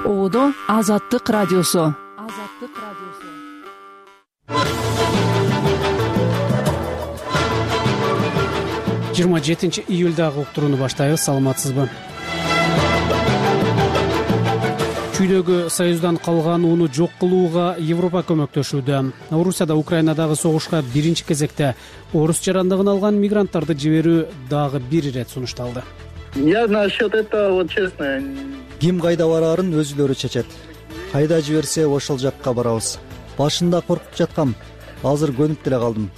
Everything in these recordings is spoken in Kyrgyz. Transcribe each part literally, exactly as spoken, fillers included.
Оодо Азаттык радиосу. Азаттык радиосу. жыйырма жетинчи июлдагы уктурууну баштайбыз. Саламатсызбы? Чүйдөгү Союздан калган ууну жок кылууга Европа көмөктөшүүдө. Орусияда Украинадагы согушка биринчи кезекте орус жарандыгын алган мигранттарды жиберүү дагы бир ирет сунушталды. Я насчет этого, вот честно. Ким кайда бараарын өзүлөрү чечет. Кайда жиберсе ошол жакка барабыз. Башында коркуп жаткам, азыр көнүп деле калдым.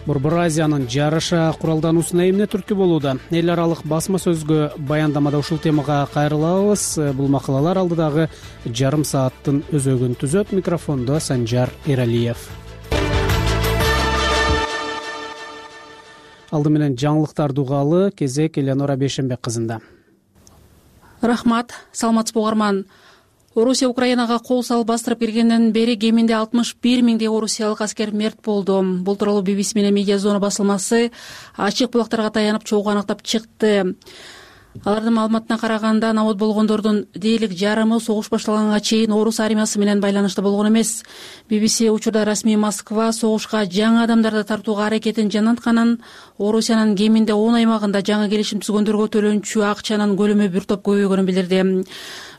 Борбор Азиянын жараша куралдануусуна эмне түрткү болууда? Эл аралык басма сөзгө баяндамада ушул темага кайрылабыз. Бул макалалар алдыдагы жарым сааттын өзөгүн түзөт. Микрофондо Санжар Эралиев. Алды менен жаңылыктарды угалы, кезек Эленора Бейшенбек кызында. Рахмат, саламатсызбы угарман. Орусия Украинага кол салып бастырып киргенден бери кеминде алтымыш бир миңдей орусиялык аскер мерт болду. Бул тууралуу би би си менен Медиа Зона басылмасы ачык булактарга таянып чогуу аныктап чыкты. Алардын маалыматына караганда, набат болгондордун дээрлик жарымы согуш башталганга чейин орус армиясы менен байланышта болгон эмес. би би си учурда расмий Москва согушка жаңы адамдарды тартууга аракетин жанатканын, Орусиянын кеминде он аймагында жаңы келишим түзгөндөргө төлөнчү акчанын көлөмү бир топ көбөйгөнүн билдирди.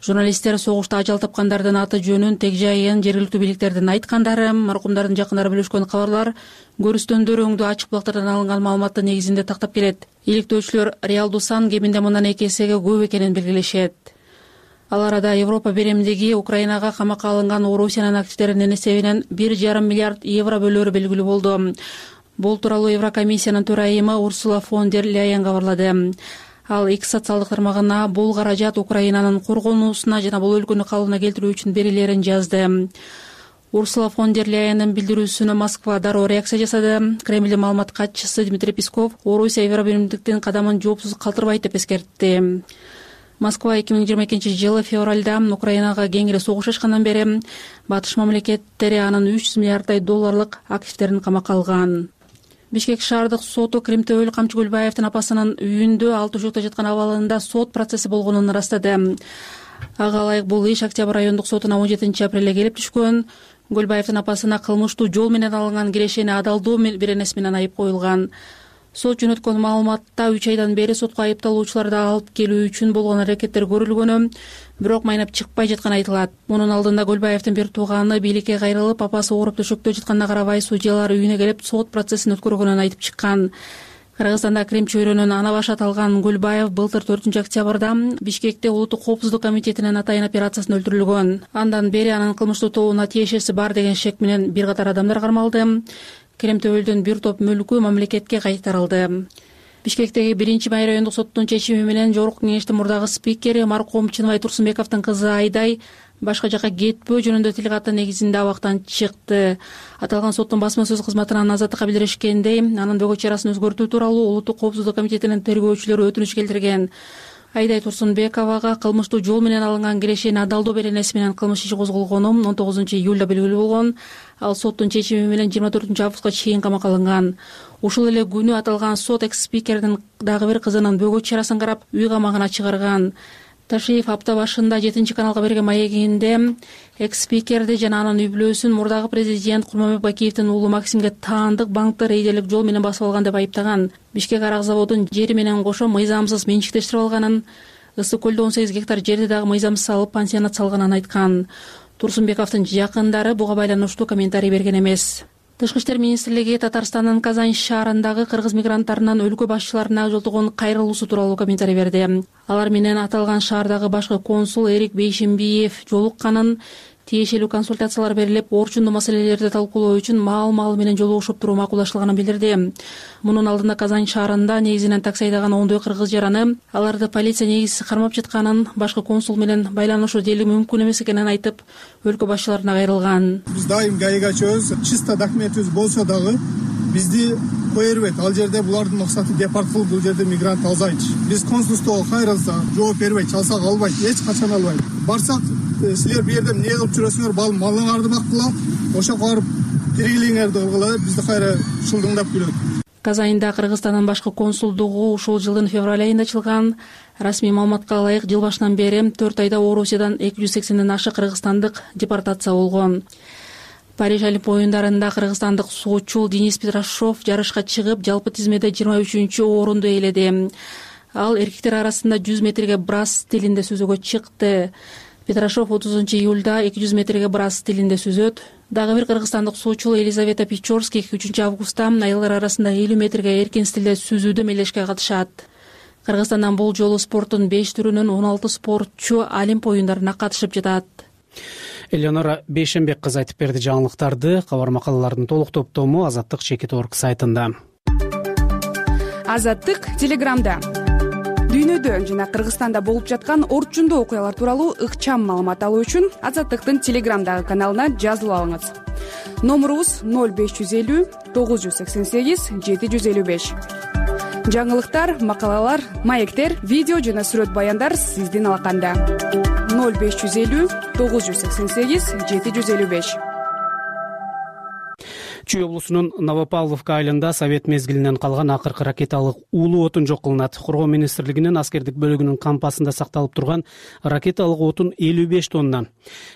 Журналисттер согушта ажал тапкандардын аты жөнүн, тег жайын жергиликтүү бийликтердин айткандары, маркумдардын жакындары бөлүшкөн кабарлар көрүстөндөр өңдүү ачык булактардан алынган маалыматтын негизинде тактап келет. Иликтөөчүлөр реалдуу сан кеминде мындан эки эсеге көп экенин белгилешет. Ал арада Европа беремдиги Украинага камакка алынган Орусиянын активдеринин эсебинен бир жарым миллиард евро бөлөөрү белгилүү болду. Бул тууралуу Еврокомиссиянын төрайымы Урсула фон дер Ляйен кабарлады. Ал X социалдык тармагына бул каражат Украинанын коргонуусуна жана бул өлкөнү калыбына келтирүү үчүн берилерин жазды. Урсула фон дер Ляйендин билдирүүсүнө Москва дароо реакция жасады. Кремлдин маалымат катчысы Дмитрий Песков Орусия Евробиримдиктин кадамын жоопсуз калтырбайт деп эскертти. Москва эки миң жыйырма экинчи жылы февралда Украинага кеңири согуш ачкандан бери батыш мамлекеттери анын үч жүз миллиарддай долларлык активдерин камакка алган. Бишкек шаардык соту Кримтөөл Камчы Көлбаевдин апасынын үйүндө ал төшөктө жаткан абалында сот процесси болгонун ырастады. Ага ылайык бул иш Октябрь райондук сотуна он жетинчи апрелде келип түшкөн. Көлбаевдин апасына кылмыштуу жол менен алынган кирешени адалдоо беренеси менен айып коюлган. Сот жөнөткөн маалыматта үч айдан бери сотко айыпталуучуларды алып келүү үчүн болгон аракеттер көрүлгөнү, бирок майнап чыкпай жатканы айтылат. Мунун алдында Көлбаевдин бир тууганы бийликке кайрылып, апасы ооруп төшөктө жатканына карабай судьялар үйүнө келип сот процессин өткөргөнүн айтып чыккан. Кыргызстанда Крим чөйрөнүн ана башы аталган Көлбаев былтыр төртүнчү октябрда Бишкекте Улуттук коопсуздук комитетинин атайын операциясында өлтүрүлгөн. Андан бери анын кылмыштуу тобуна тиешеси бар деген шек менен бир катар адамдар кармалды. Кремтөөлдүн бир топ мүлкү мамлекетке кайтарылды. Бишкектеги биринчи май райондук соттун чечими менен Жогорку кеңештин мурдагы спикери маркум Чыныбай Турсунбековдун кызы Айдай башка жакка кетпөө жөнүндө тил каты негизинде абактан чыкты. Аталган соттун басма сөз кызматынан Азаттыкка билдиришкендей, анын бөгөт чарасын өзгөртүү тууралуу Улуттук коопсуздук комитетинин тергөөчүлөрү өтүнүч келтирген. Айдай Турсунбековага кылмыштуу жол менен алынган кирешени адалдоо беренеси менен кылмыш иши козголгону он тогузунчу июлда белгилүү болгон. Ал соттун чечими менен жыйырма төртүнчү августка чейин камакка алынган. Ушул эле күнү аталган сот экс-спикердин дагы бир кызынын бөгөт чарасын карап үй камагына чыгарган. Ташиев апта башында жетинчи каналга берген маегинде экс-спикерди жана анын үй бүлөсүн мурдагы президент Курманбек Бакиевдин уулу Максимге таандык банкты рейдерлик жол менен басып алган деп айыптаган. Бишкек арак заводун жери менен кошо мыйзамсыз менчиктештирип алганын, Ысык көлдө он сегиз гектар жерди дагы мыйзамсыз алып пансионат салганын айткан. Турсунбековдун жакындары буга байланыштуу комментарий берген эмес. Тышкы иштер министрлиги Татарстандын Казань шаарындагы кыргыз мигранттарынын өлкө башчыларына жолтогон кайрылуусу тууралуу комментарий берди. Алар менен аталган шаардагы башкы консул Эрик Бейшембиев жолукканын, тиешелүү консультациялар берилип, орчундуу маселелерди талкуулоо үчүн маал-маал менен жолугушуп туруу макулдаштырылганын билдирди. Мунун алдында Казань шаарында негизинен такси айдаган ондой кыргыз жараны аларды полиция негизсиз кармап жатканын, башкы консул менен байланышуу дээрлик мүмкүн эмес экенин айтып, өлкө башчыларына кайрылган. Биз дайым гаига чөбүз, чисто документибиз болсо дагы бизди кое бербейт. Ал жерде булардын максаты депорт кылып бул жерде мигрант алзайчы. Биз консулствого кайрылсак, жооп бербейт, чалсак албайт, эч качан албайт. Барсак, силер бу жерде эмне кылып жүрөсүңөр, бал малыңарды бактыла, ошоко барып тиргилиңерди кылгыла, бизди кайра шылдыңдап күлөт. Казаньда Кыргызстандын башкы консулдугу ушул жылдын февраль айында ачылган. Расмий маалыматка ылайык жыл башынан бери төрт айда Орусиядан эки жүз сексенден ашык кыргызстандык депортация болгон. Париж Олимп оюндарында кыргызстандык суучу Денис Петрашов жарышка чыгып, жалпы тизмеде жыйырма үчүнчү орунду ээледи. Ал эркектер арасында жүз метрге брас стилинде сүзүүгө чыкты. Петрашов отузунчу июлда эки жүз метрге брас стилинде сүзөт. Дагы бир кыргызстандык суучу Елизавета Печорский үчүнчү августта аялдар арасында элүү метрге эркин стилде сүзүүдө мелешке катышат. Кыргызстандан бул жолу спорттун беш түрүнөн он алты спортчу Олимп оюндарына катышып жатат. Элеонора Бейшенбек кызы айтып берди жаңылыктарды. Кабар макалалардын толук топтому Азаттык чекит орг сайтында. Азаттык Телеграмда дүйнөдө жана Кыргызстанда болуп жаткан орчундуу окуялар тууралуу ыкчам маалымат алуу үчүн Азаттыктын Телеграмдагы каналына жазылып алыңыз. Номурубуз ноль беш жүз элүү тогуз жүз сексен сегиз жети жүз элүү беш. Жаңылыктар, макалалар, маектер, видео жана сүрөт баяндар сиздин алаканда. ноль беш жүз элүү тогуз жүз сексен сегиз жети жүз элүү беш. Чүй облусунун Новопавловка айылында Совет мезгилинен калган акыркы ракеталык уулуу отун жок кылынат. Коргоо министрлигинин аскердик бөлүгүнүн кампасында сакталып турган ракеталык отун элүү беш тонна.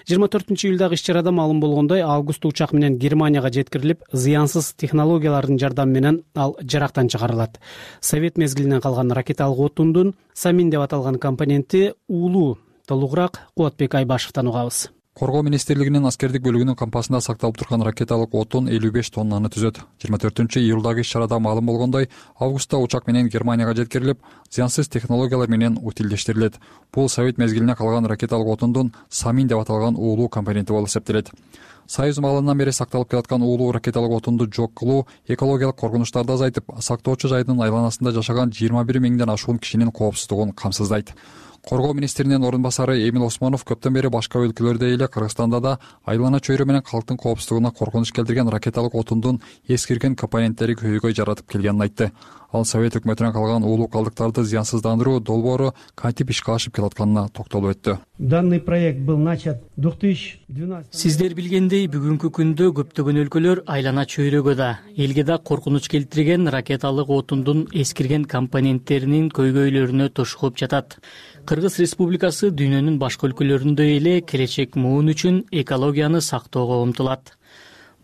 жыйырма төртүнчү июлдагы иш-чарада маалым болгондой, август учак менен Германияга жеткирилип, зыянсыз технологиялардын жардамы менен ал жарактан чыгарылат. Совет мезгилинен калган ракеталык отундун самин деп аталган компоненти уулуу. Толугураак Кубатбек Айбашевден угабыз. Коргоо министрлигинин аскердик бөлүгүнүн кампасында сакталып турган ракеталык отун элүү беш тоннаны түзөт. жыйырма төртүнчү июлдагы иш-чарада маалым болгондой, августта учак менен Германияга жеткирилип, зыянсыз технологиялар менен утилдештирилет. Бул Совет мезгилине калган ракеталык отундун самин деп аталган уулуу компоненти болуп эсептелет. Союз маалынан бери сакталып келаткан уулуу ракеталык отунду жок кылуу экологиялык коркунучтарды азайтып, сактоочу жайдын айланасында жашаган жыйырма бир миңден ашуун кишинин коопсуздугун камсыздайт. Коргоо министринин орун басары Эмил Осмонов көптөн бери башка өлкөлөрдө эле Кыргызстанда да айлана чөйрө менен калктын коопсуздугуна коркунуч келтирген ракеталык отундун эскирген компоненттери көйгөй жаратып келгенин айтты. Ал Совет өкмөтүнөн калган уулуу калдыктарды зыянсыздандыруу долбоору кантип ишке ашып келатканына токтолуп өттү. Данный проект был начат две тысячи двенадцатом. Сиздер билгендей, бүгүнкү күндө көптөгөн өлкөлөр айлана чөйрөгө да, элге да коркунуч келтирген ракеталык отундун эскирген компоненттеринин көйгөйлөрүнө тушугуп жатат. Кыргыз Республикасы дүйнөнүн башка өлкөлөрүндө эле келечек муун үчүн экологияны сактоого умтулат.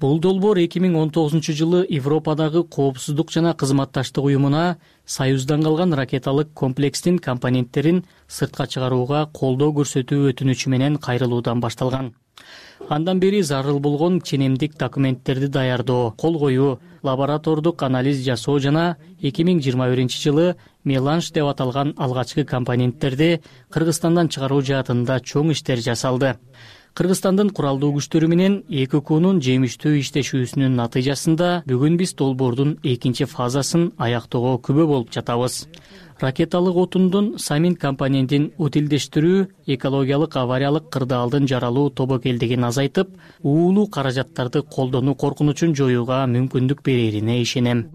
Бул долбоор эки миң он тогузунчу жылы Европадагы коопсуздук жана кызматташтык уюмуна Союздан калган ракеталык комплекстин компоненттерин сыртка чыгарууга колдоо көрсөтүү өтүнүчү менен кайрылуудан башталган. Андан бери зарыл болгон ченемдик документтерди даярдоо, кол коюу, лаборатордук анализ жасоо жана эки миң жыйырма биринчи жылы меланж деп аталган алгачкы компоненттерди Кыргызстандан чыгаруу жаатында чоң иштер жасалды. Кыргызстандын куралдуу күчтөрү менен эки укунун жемиштүү иштешүүсүнүн натыйжасында бүгүн биз долбоордун экинчи фазасын аяктоого күбө болуп жатабыз. Ракеталык отундун самин компонентин утилдештирүү экологиялык авариялык кырдаалдын жаралуу тобокелдигин азайтып, уулуу каражаттарды колдонуу коркунучун жоюуга мүмкүндүк берерине ишенем.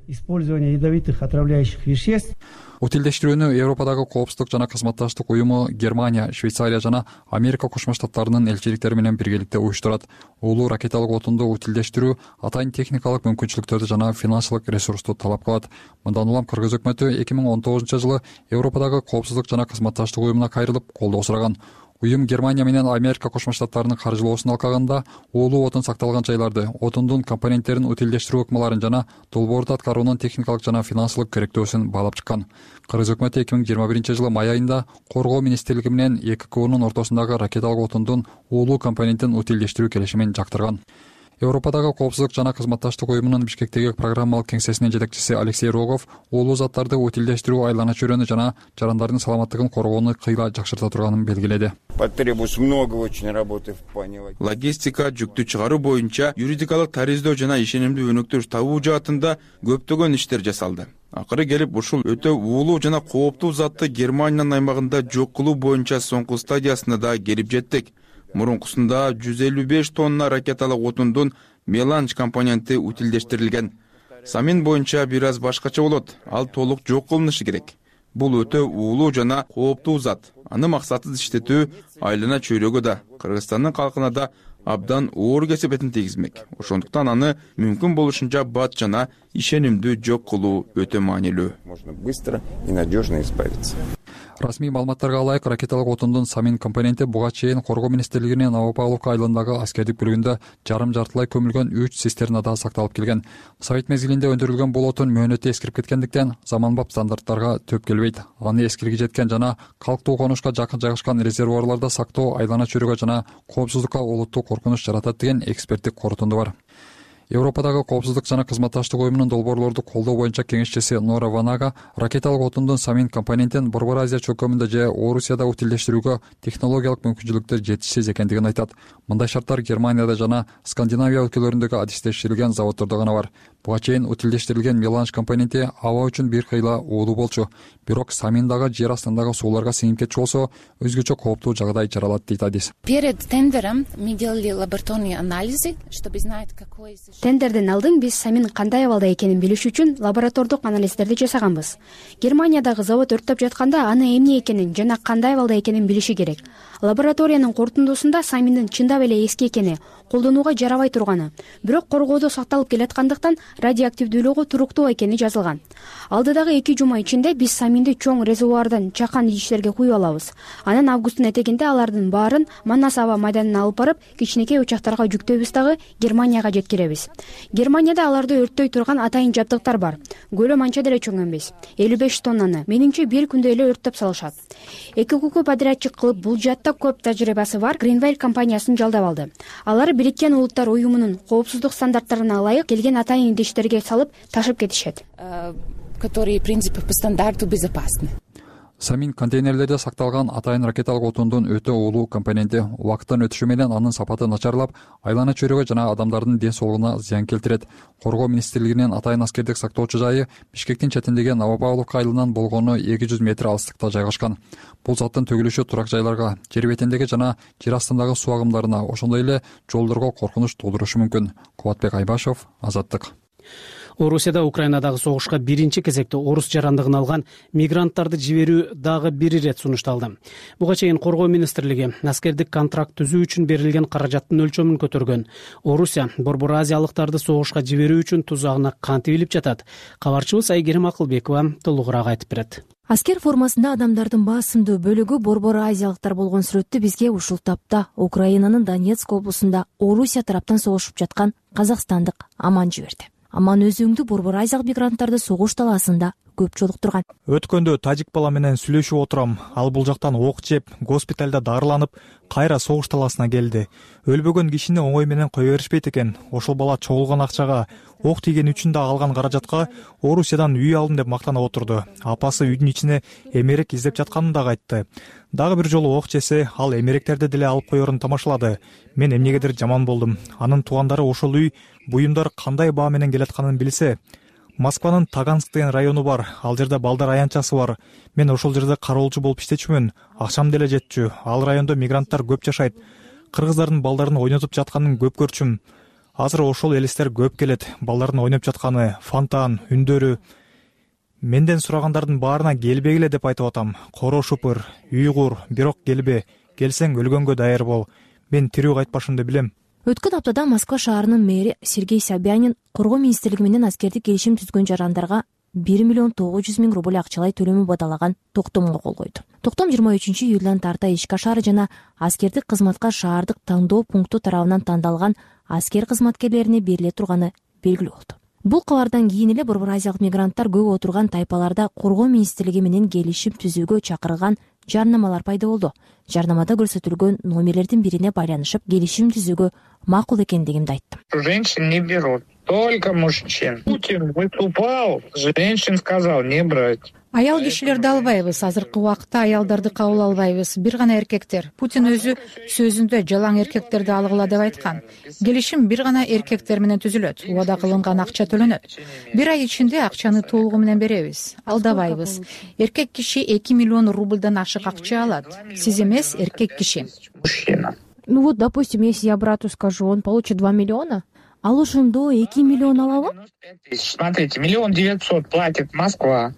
Использование ядовитых отравляющих веществ. Утилдештирүүнү Европадагы коопсуздук жана кызматташтык уюму Германия, Швейцария жана Америка Кошмо Штаттарынын элчиликтери менен биргеликте уюштурат. Уулуу ракеталык отунду утилдештирүү атайын техникалык мүмкүнчүлүктөрдү жана финансылык ресурсту талап кылат. Мындан улам Кыргыз өкмөтү эки миң он тогузунчу жылы Европадагы коопсуздук жана кызматташтык уюмуна кайрылып, колдоо сураган. Уюм Германия менен Америка Кошмо Штаттарынын каржылоосун алкаганда уулуу отун сакталган жайларды, отундун компоненттерин утилдештирүү ыкмаларын жана долбоорду аткаруунун техникалык жана финансылык керектөөсүн баалап чыккан. Кыргыз өкмөтү эки миң жыйырма биринчи жылы май айында Коргоо министрлиги менен эки кунун ортосундагы ракеталык отундун уулуу компонентин утилдештирүү келишимин жактырган. Европадагы коопсуздук жана кызматташтык уюмунун Бишкектеги программалык кеңсесинин жетекчиси Алексей Рогов уулуу заттарды утилдештирүү айлана чөйрөнү жана жарандардын саламаттыгын коргоону кыйла жакшырта турганын белгиледи. Логистика, жүктү чыгаруу боюнча юридикалык тариздөө жана ишенимдүү өнөктөш табуу жаатында көптөгөн иштер жасалды. Акыры келип ушул өтө уулуу жана кооптуу затты Германиянын аймагында жок кылуу боюнча соңку стадиясына да келип жеттик. Мурункусунда жүз элүү беш тонна ракеталык отундун меланж компоненти утилдештирилген. Самин боюнча бир аз башкача болот. Ал толук жок кылынышы керек. Бул өтө уулуу жана кооптуу зат. Аны максатсыз иштетүү айлана чөйрөгө да, Кыргызстандын калкына да абдан оор кесепетин тийгизмек. Ошондуктан аны мүмкүн болушунча бат жана ишенимдүү жок кылуу өтө маанилүү. Расмий маалыматтарга ылайык, ракеталык отундун самин компоненти буга чейин Коргоо министрлигинин Новопавловка айылындагы аскердик бүлүгүндө жарым жартылай көмүлгөн үч цистернада сакталып келген. Совет мезгилинде өндүрүлгөн бул отун мөөнөтү эскирип кеткендиктен заманбап стандарттарга төп келбейт. Аны эскирги жеткен жана калктуу конушка жакын жайгашкан резервуарларда сактоо айлана чөйрөгө жана коопсуздукка олуттуу коркунуч жаратат деген эксперттик корутунду бар. Европадагы коопсуздук жана кызматташтык уюмунун долбоорлорду колдоо боюнча кеңешчиси Нора Ванага ракеталык отундун самин компонентин Борбор Азия чөкөмүндө же Орусияда утилдештирүүгө технологиялык мүмкүнчүлүктөр жетишсиз экендигин айтат. Мындай шарттар Германияда жана Скандинавия өлкөлөрүндөгү адистештирилген заводдордо гана бар. Буга чейин утилдештирилген меланж компоненти аба үчүн бир кыйла уулуу болчу. Бирок саминдагы жер астындагы сууларга сиңип кетчү болсо, өзгөчө кооптуу жагдай жаралат дейт адис. Перед тендером мы делали лабораторные анализы, чтобы знать, какой Тендерден алдын биз самин кандай абалда экенин билиш үчүн лаборатордук анализдерди жасаганбыз. Германиядагы завод өрттөп жатканда аны эмне экенин жана кандай абалда экенин билиши керек. Лабораториянын корутундусунда саминдин чындап эле эски экени, колдонууга жарабай турганы, бирок коргоодо сакталып келаткандыктан радиоактивдүүлүгү туруктуу экени жазылган. Алдыдагы эки жума ичинде биз саминди чоң резервуардан чакан идиштерге куюп алабыз. Анан августтун этегинде алардын баарын Манас аба майданына алып барып, кичинекей учактарга жүктөйбүз дагы Германияга жеткиребиз. Германияда аларды өрттөй турган атайын жабдыктар бар. Көлөм анча деле чоң эмес. элүү беш тоннаны менимче бир күндө эле өрттөп салышат. Эки күкү подрядчик кылып бул жаатта көп тажрыйбасы бар Greenwell компаниясын жалдап алды. Алар Бириккен Улуттар уюмунун коопсуздук стандарттарына ылайык келген атайын идиштерге салып ташып кетишет, которые в принципе по стандарту безопасны. Самин контейнерлерде сакталган атайын ракеталык отундун өтө уулуу компоненти убакыттын өтүшү менен анын сапаты начарлап, айлана чөйрөгө жана адамдардын ден соолугуна зыян келтирет. Коргоо министрлигинин атайын аскердик сактоочу жайы Бишкектин четиндеги Новопавловка айылынан болгону эки жүз метр алыстыкта жайгашкан. Бул заттын төгүлүшү турак жайларга, жер бетиндеги жана жер астындагы суу агымдарына, ошондой эле жолдорго коркунуч туудурушу мүмкүн. Кубатбек Айбашев, Азаттык. Орусияда Украинадагы согушка биринчи кезекте орус жарандыгын алган мигранттарды жиберүү дагы бир ирет сунушталды. Буга чейин Коргоо министрлиги аскердик контракт түзүү үчүн берилген каражаттын өлчөмүн көтөргөн. Орусия Борбор Азиялыктарды согушка жиберүү үчүн тузагына кантип илип жатат? Кабарчыбыз Айгерим Акылбекова толугураак айтып берет. Аскер формасында адамдардын басымдуу бөлүгү Борбор Азиялыктар болгон сүрөттү бизге ушул тапта Украинанын Донецк облусунда Орусия тараптан согушуп жаткан казакстандык Аман жиберди. Аман өзүңдү Борбор Азиялык мигранттарды согуш талаасында көп жолуктурган. Өткөндө тажик бала менен сүйлөшүп отурам. Ал бул жактан ок жеп, госпиталда дарыланып, кайра согуш талаасына келди. Өлбөгөн кишини оңой менен кое беришпейт экен. Ошол бала чогулган акчага, ок тийген үчүн да алган каражатка Орусиядан үй алдым деп мактанып отурду. Апасы үйдүн ичине эмерек издеп жатканын дагы айтты. Дагы бир жолу ок жесе, ал эмеректерди деле алып коерун тамашалады. Мен эмнегедир жаман болдум. Анын туугандары ошол үй, буюмдар кандай баа менен келатканын билсе. Москванын Таганск деген району бар. Ал жерде балдар аянтчасы бар. Мен ошол жерде кароолчу болуп иштечүмүн. Акчам деле жетчү. Ал райондо мигранттар көп жашайт. Кыргыздардын балдарын ойнотуп жатканын көп көрчүм. Азыр ошол элестер көп келет. Балдардын ойноп жатканы, фонтан, үндөрү. Менден сурагандардын баарына келбегиле деп айтып атам. Коро шупыр, уйгур, бирок келбе. Келсең өлгөнгө даяр бол. Мен тирүү кайтпашымды билем. Өткөн аптада Москва шаарынын мэри Сергей Собянин Коргоо министрлиги менен аскердик келишим түзгөн жарандарга бир миллион тогуз жүз миң рубль акчалай төлөмү бадалаган токтомго кол койду. Токтом жыйырма үчүнчү июлдан тарта ишке ашары жана аскердик кызматка шаардык тандоо пункту тарабынан тандалган аскер кызматкерлерине бериле турганы белгилүү болду. Бул кабардан кийин эле Борбор Азиялык мигранттар көп отурган тайпаларда Коргоо министрлиги менен келишим түзүүгө чакырган жарнамалар пайда болду. Жарнамада көрсөтүлгөн номерлердин бирине байланышып келишим түзүүгө макул экендигимди айттым. Женщин не берут, только мужчин. Путин выступал, женщин сказал не брать. Аял кишилерди албайбыз. Азыркы убакытта аялдарды кабыл албайбыз. Бир гана эркектер. Путин өзү сөзүндө жалаң эркектерди алгыла деп айткан. Келишим бир гана эркектер менен түзүлөт. Убада кылынган акча төлөнөт. Бир ай ичинде акчаны толугу менен беребиз. Алдабайбыз. Эркек киши эки миллион рубльдан ашык акча алат. Сиз эмес, эркек киши. Ну вот, допустим, если я брату скажу, он получит два миллиона, ал ошондо эки миллион алабы? Смотрите, миллион девятьсот платит Москва.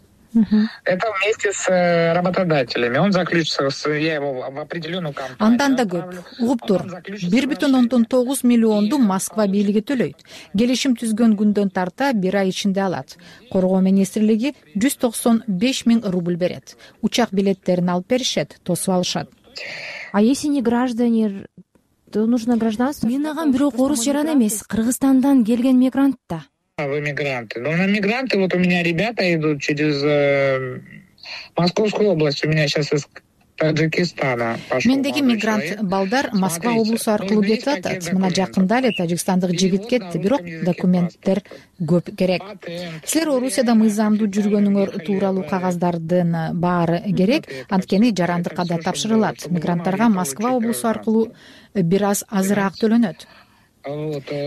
Это вместе с работодателями. Он заключится, я его в определенную компанию. Андан да көп. Угуп тур. бир бүтүн ондон тогуз миллионду Москва бийлиги төлөйт. Келишим түзгөн күндөн тарта бир ай ичинде алат. Коргоо министрлиги жүз токсон беш миң рубль берет. Учак билеттерин алып беришет, тосуп алышат. А если не граждане, то нужно гражданство? Минаган бирок орус жаран эмес, Кыргызстандан келген мигрант да. Вы мигранты. Ну, на мигранты вот у меня ребята идут через э, Московскую область. У меня сейчас из Таджикистана пошел. Мендеги мигрант балдар Москва облусу аркылуу кетип атат. Мына жакында эле тажикстандык жигит кетти, бирок документтер көп керек. Силер Орусияда мыйзамдуу жүргөнүңөр тууралуу кагаздардын баары керек, анткени жарандыкка да тапшырылат. Мигранттарга Москва облусу аркылуу бир аз азыраак төлөнөт.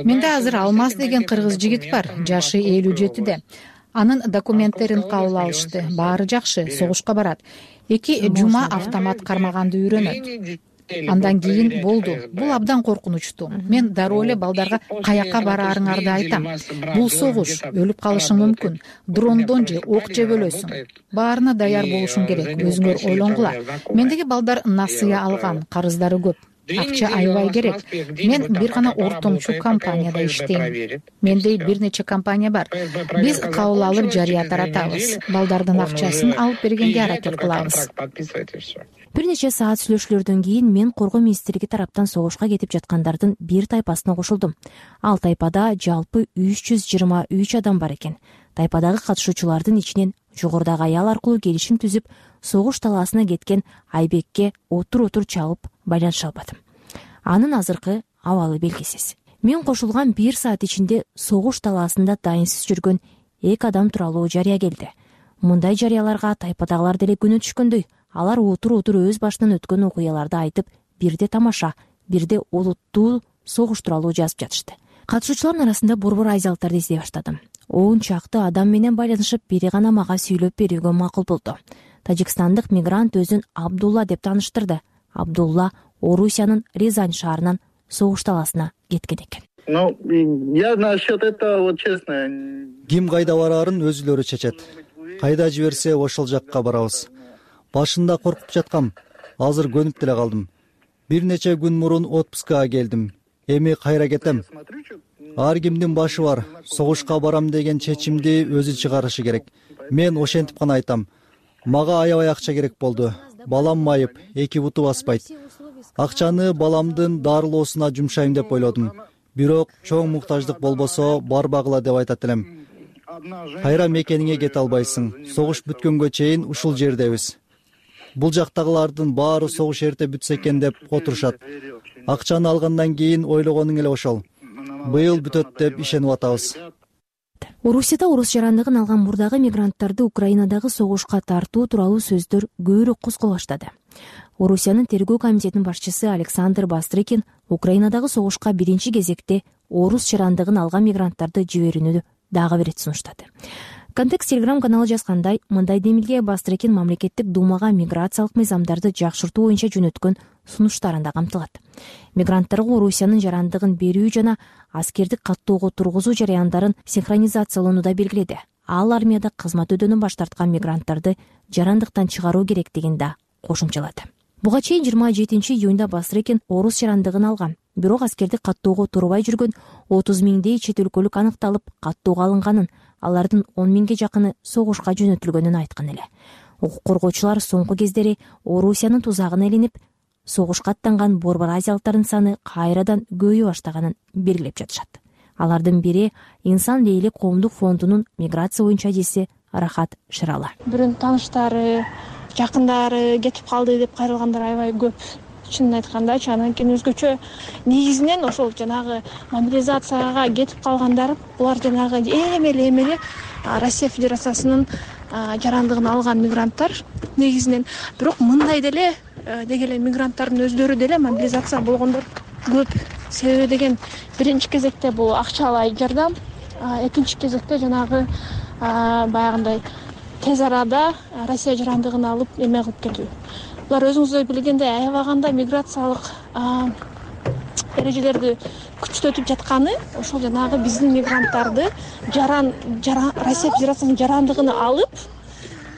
Менде азыр Алмаз деген кыргыз жигит бар, жашы элүү жетиде. Анын документтерин кабыл алышты, баары жакшы, согушка барат. Эки жума автомат кармаганды үйрөнөт. Андан кийин болду. Бул абдан коркунучтуу. Мен дароо эле балдарга каяка бараарыңарды айтам. Бул согуш, өлүп калышың мүмкүн. Дрондон же ок жеп өлөсүң. Баарына даяр болушуң керек, өзүңөр ойлонгула. Мендеги балдар насыя алган, карыздары көп. Акча аябай керек. Мен бир гана ортомчу компанияда иштейм. Менде бир нече компания бар. Биз кабыл алып жарыя таратабыз. Балдардын акчасын алып бергенге аракет кылабыз. Бир нече саат сүйлөшүүлөрдөн кийин мен Коргоо министрлиги тараптан согушка кетип жаткандардын бир тайпасына кошулдум. Ал тайпада жалпы үч жүз жыйырма үч адам бар экен. Тайпадагы катышуучулардын ичинен жогорудагы аял аркылуу келишим түзүп, согуш талаасына кеткен Айбекке отур-отур чалып байланыша албадым. Анын азыркы абалы белгисиз. Мен кошулган бир саат ичинде согуш талаасында дайынсыз жүргөн эки адам тууралуу жарыя келди. Мындай жарыяларга тайпадагылар деле күнөө түшкөндөй, алар отур-отур өз башынан өткөн окуяларды айтып, бирде тамаша, бирде олуттуу согуш тууралуу жазып жатышты. Катышуучулардын арасында борбор азиялыктарды издей баштадым. Он чакты адам менен байланышып, бири гана мага сүйлөп берүүгө макул болду. Тажикстандык мигрант өзүн Абдулла деп тааныштырды. Абдулла Орусиянын Рязань шаарынан согуш талаасына кеткен экен. Ну, я насчет этого, вот честно. Ким кайда бараарын өзүлөрү чечет. Кайда жиберсе ошол жакка барабыз. Башында коркуп жаткам. Азыр көнүп деле калдым. Бир нече күн мурун отпускага келдим. Эми кайра кетем. Ар кимдин башы бар. Согушка барам деген чечимди өзү чыгарышы керек. Мен ошентип гана айтам. Мага аябай акча керек болду. Балам майып, эки буту баспайт. Акчаны баламдын дарылоосуна жумшайм деп ойлодум. Бирок чоң муктаждык болбосо барбагыла деп айтат элем. Кайра мекениңе кете албайсың. Согуш бүткөнгө чейин ушул жердебиз. Бул жактагылардын баары согуш эрте бүтсө экен деп отурушат. Акчаны алгандан кийин ойлогонуң эле ошол. Быйыл бүтөт деп ишенип атабыз. Орусияда орус жарандыгын алган мурдагы мигранттарды Украинадагы согушка тартуу тууралуу сөздөр көбүрөөк козголо баштады. Орусиянын тергөө комитетинин башчысы Александр Бастрыкин Украинадагы согушка биринчи кезекте орус жарандыгын алган мигранттарды жиберүүнү дагы бир рет сунуштады. Контекст Телеграм каналы жазгандай, мындай демилге Бастрыкин мамлекеттик думага миграциялык мыйзамдарды жакшыртуу боюнча жөнөткөн сунуштарында камтылат. Мигранттарга Орусиянын жарандыгын берүү жана аскердик каттоого тургузуу жараяндарын синхронизациялоону да белгиледи. Ал армияда кызмат өдөнүн баш тарткан мигранттарды жарандыктан чыгаруу керектигин да кошумчалады. Буга чейин жыйырма жетинчи июнда Бастрыкин орус жарандыгын алган. Бирок аскердик каттоого турбай жүргөн отуз миңдей чет өлкөлүк аныкталып, каттоого алынганын, алардын он миңге жакыны согушка жөнөтүлгөнүн айткан эле. Укук коргоочулар соңку кездери Орусиянын тузагына илинип, согушка аттанган борбор азиялыктардын саны кайрадан көбөйө баштаганын белгилеп жатышат. Алардын бири Инсан Лейли коомдук фондунун миграция боюнча адиси Рахат Шыралы. Бирөөнүн тааныштары, жакындары кетип калды деп кайрылгандар аябай көп. Чынын айткандачы, анан кийин өзгөчө негизинен ошол жанагы мобилизацияга кетип калгандар, булар жанагы эми эле эми эле Россия Федерациясынын жарандыгын алган мигранттар негизинен. Бирок мындай деле деги эле мигранттардын өздөрү деле мобилизация болгондор көп. Себеби деген биринчи кезекте бул акчалай жардам, экинчи кезекте жанагы баягындай тез арада Россия жарандыгын алып эме кылып кетүү. Булар өзүңүздөр билгендей аябаганда миграциялык эрежелерди күчтөтүп жатканы ошол жанагы биздин мигранттарды жаран Россия Федерациясынын жарандыгын алып,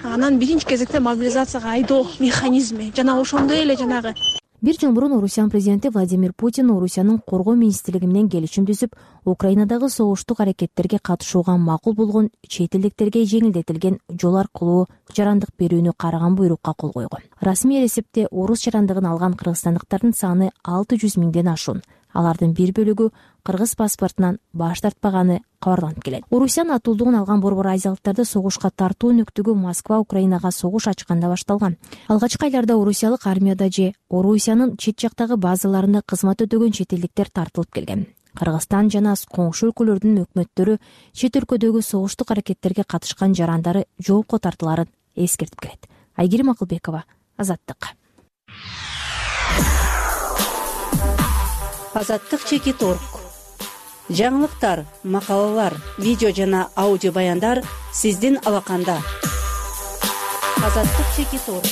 анан биринчи кезекте мобилизацияга айдоо механизми жана ошондой эле жанагы. Бир жыл мурун Орусиянын президенти Владимир Путин Орусиянын коргоо министрлиги менен келишим түзүп, Украинадагы согуштук аракеттерге катышууга макул болгон чет элдиктерге жеңилдетилген жол аркылуу жарандык берүүнү караган буйрукка кол койгон. Расмий эсепте орус жарандыгын алган кыргызстандыктардын саны алты жүз миңден ашуун. Алардын бир бөлүгү кыргыз паспортунан баш тартпаганы кабарланып келет. Орусиянын атуулдугун алган борбор азиялыктарды согушка тартуу өнөктүгү Москва Украинага согуш ачканда башталган. Алгачкы айларда орусиялык армияда же Орусиянын чет жактагы базаларында кызмат өтөгөн чет элдиктер тартылып келген. Кыргызстан жана коңшу өлкөлөрдүн өкмөттөрү чет өлкөдөгү согуштук аракеттерге катышкан жарандары жоопко тартыларын эскертип келет. Айгерим Акылбекова, Азаттык. Азаттык чекит орг. Жаңылыктар, макалалар, видео жана аудио баяндар сиздин алаканда. Азаттык чекит орг.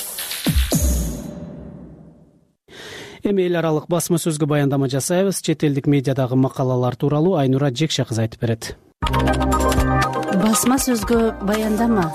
Эми эл аралык басма сөзгө баяндама жасайбыз. Чет элдик медиадагы макалалар тууралуу Айнура Жекше кыз айтып берет. Басма сөзгө баяндама.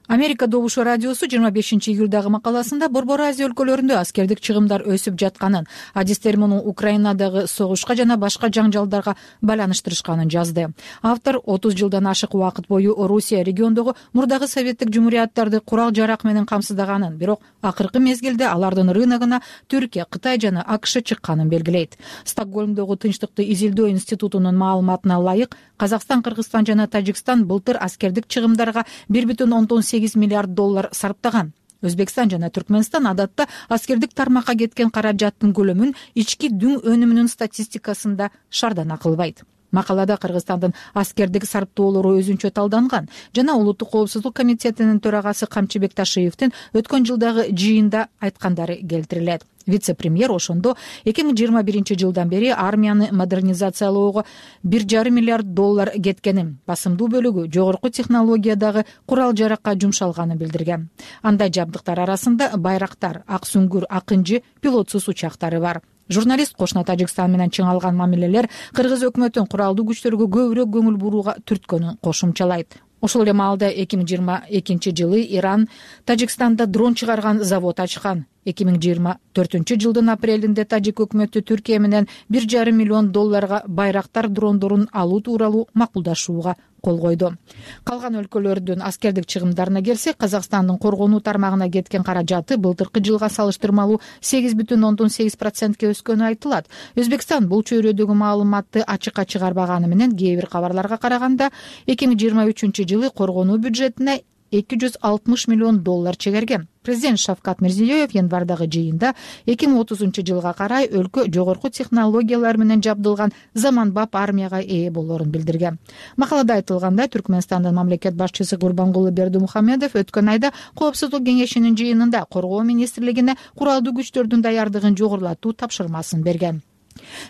Америка добушу радиосу жыйырма бешинчи июлдагы макаласында Борбор Азия өлкөлөрүндө аскердик чыгымдар өсүп жатканын, адистер муну Украинадагы согушка жана башка жаңжалдарга байланыштырышканын жазды. Автор отуз жылдан ашык убакыт бою Орусия региондогу мурдагы советтик жумурияттарды курал-жарак менен камсыздаганын, бирок акыркы мезгилде алардын рыногуна Түркия, Кытай жана АКШ чыкканын белгилейт. Стокгольмдогу Тынчтыкты изилдөө институтунун маалыматына ылайык, Казакстан, Кыргызстан жана Тажикстан былтыр аскердик чыгымдарга бир бүтүн ондон сегиз миллиард доллар сарптаган. Өзбекстан жана Түркмөнстан адатта аскердик тармакка кеткен каражаттын көлөмүн ички дүң өнүмүнүн статистикасында шардан акылбайт. Макалада Кыргызстандын аскердик сарптоолору өзүнчө талданган жана Улуттук коопсуздук комитетинин төрагасы Камчыбек Ташиевдин өткөн жылдагы жыйында айткандары келтирилет. Вице-премьер ошондо эки миң жыйырма биринчи жылдан бери армияны модернизациялоого бир жарым миллиард доллар кеткенин, басымдуу бөлүгү жогорку технологиядагы курал-жаракка жумшалганын билдирген. Андай жабдыктар арасында байрактар, ак сүңгүр, акынжы, пилотсуз учактары бар. Журналист кошуна Тажикстан менен чыңалган мамилелер кыргыз өкмөтүн куралдуу күчтөргө көбүрөөк көңүл бурууга түрткөнүн кошумчалайт. Ошол эле маалда эки миң жыйырма экинчи жылы Иран Тажикстанда дрон чыгарган завод ачкан. эки миң жыйырма төртүнчү жылдын апрелинде Тажик өкмөтү Түркия менен бир жарым миллион долларга байрактар дрондорун алуу тууралуу макулдашууга кол койду. Калган өлкөлөрдүн аскердик чыгымдарына келсек, Казакстандын коргонуу тармагына кеткен каражаты былтыркы жылга салыштырмалуу сегиз бүтүн ондон сегиз процентке өскөнү айтылат. Өзбекстан бул чөйрөдөгү маалыматты ачыкка чыгарбаганы менен кээ бир кабарларга караганда эки миң жыйырма үчүнчү жылы коргонуу бюджетине эки жүз алтымыш миллион доллар чегерген. Президент Шавкат Мирзиёев январдагы жыйында эки миң отузунчу жылга карай өлкө жогорку технологиялар менен жабдылган заманбап армияга ээ болоорун билдирген. Макалада айтылгандай, Түркмөнстандын мамлекет башчысы Гурбангулы Бердимухамедов өткөн айда Коопсуздук кеңешинин жыйынында коргоо министрлигине куралдуу күчтөрдүн даярдыгын жогорулатуу тапшырмасын берген.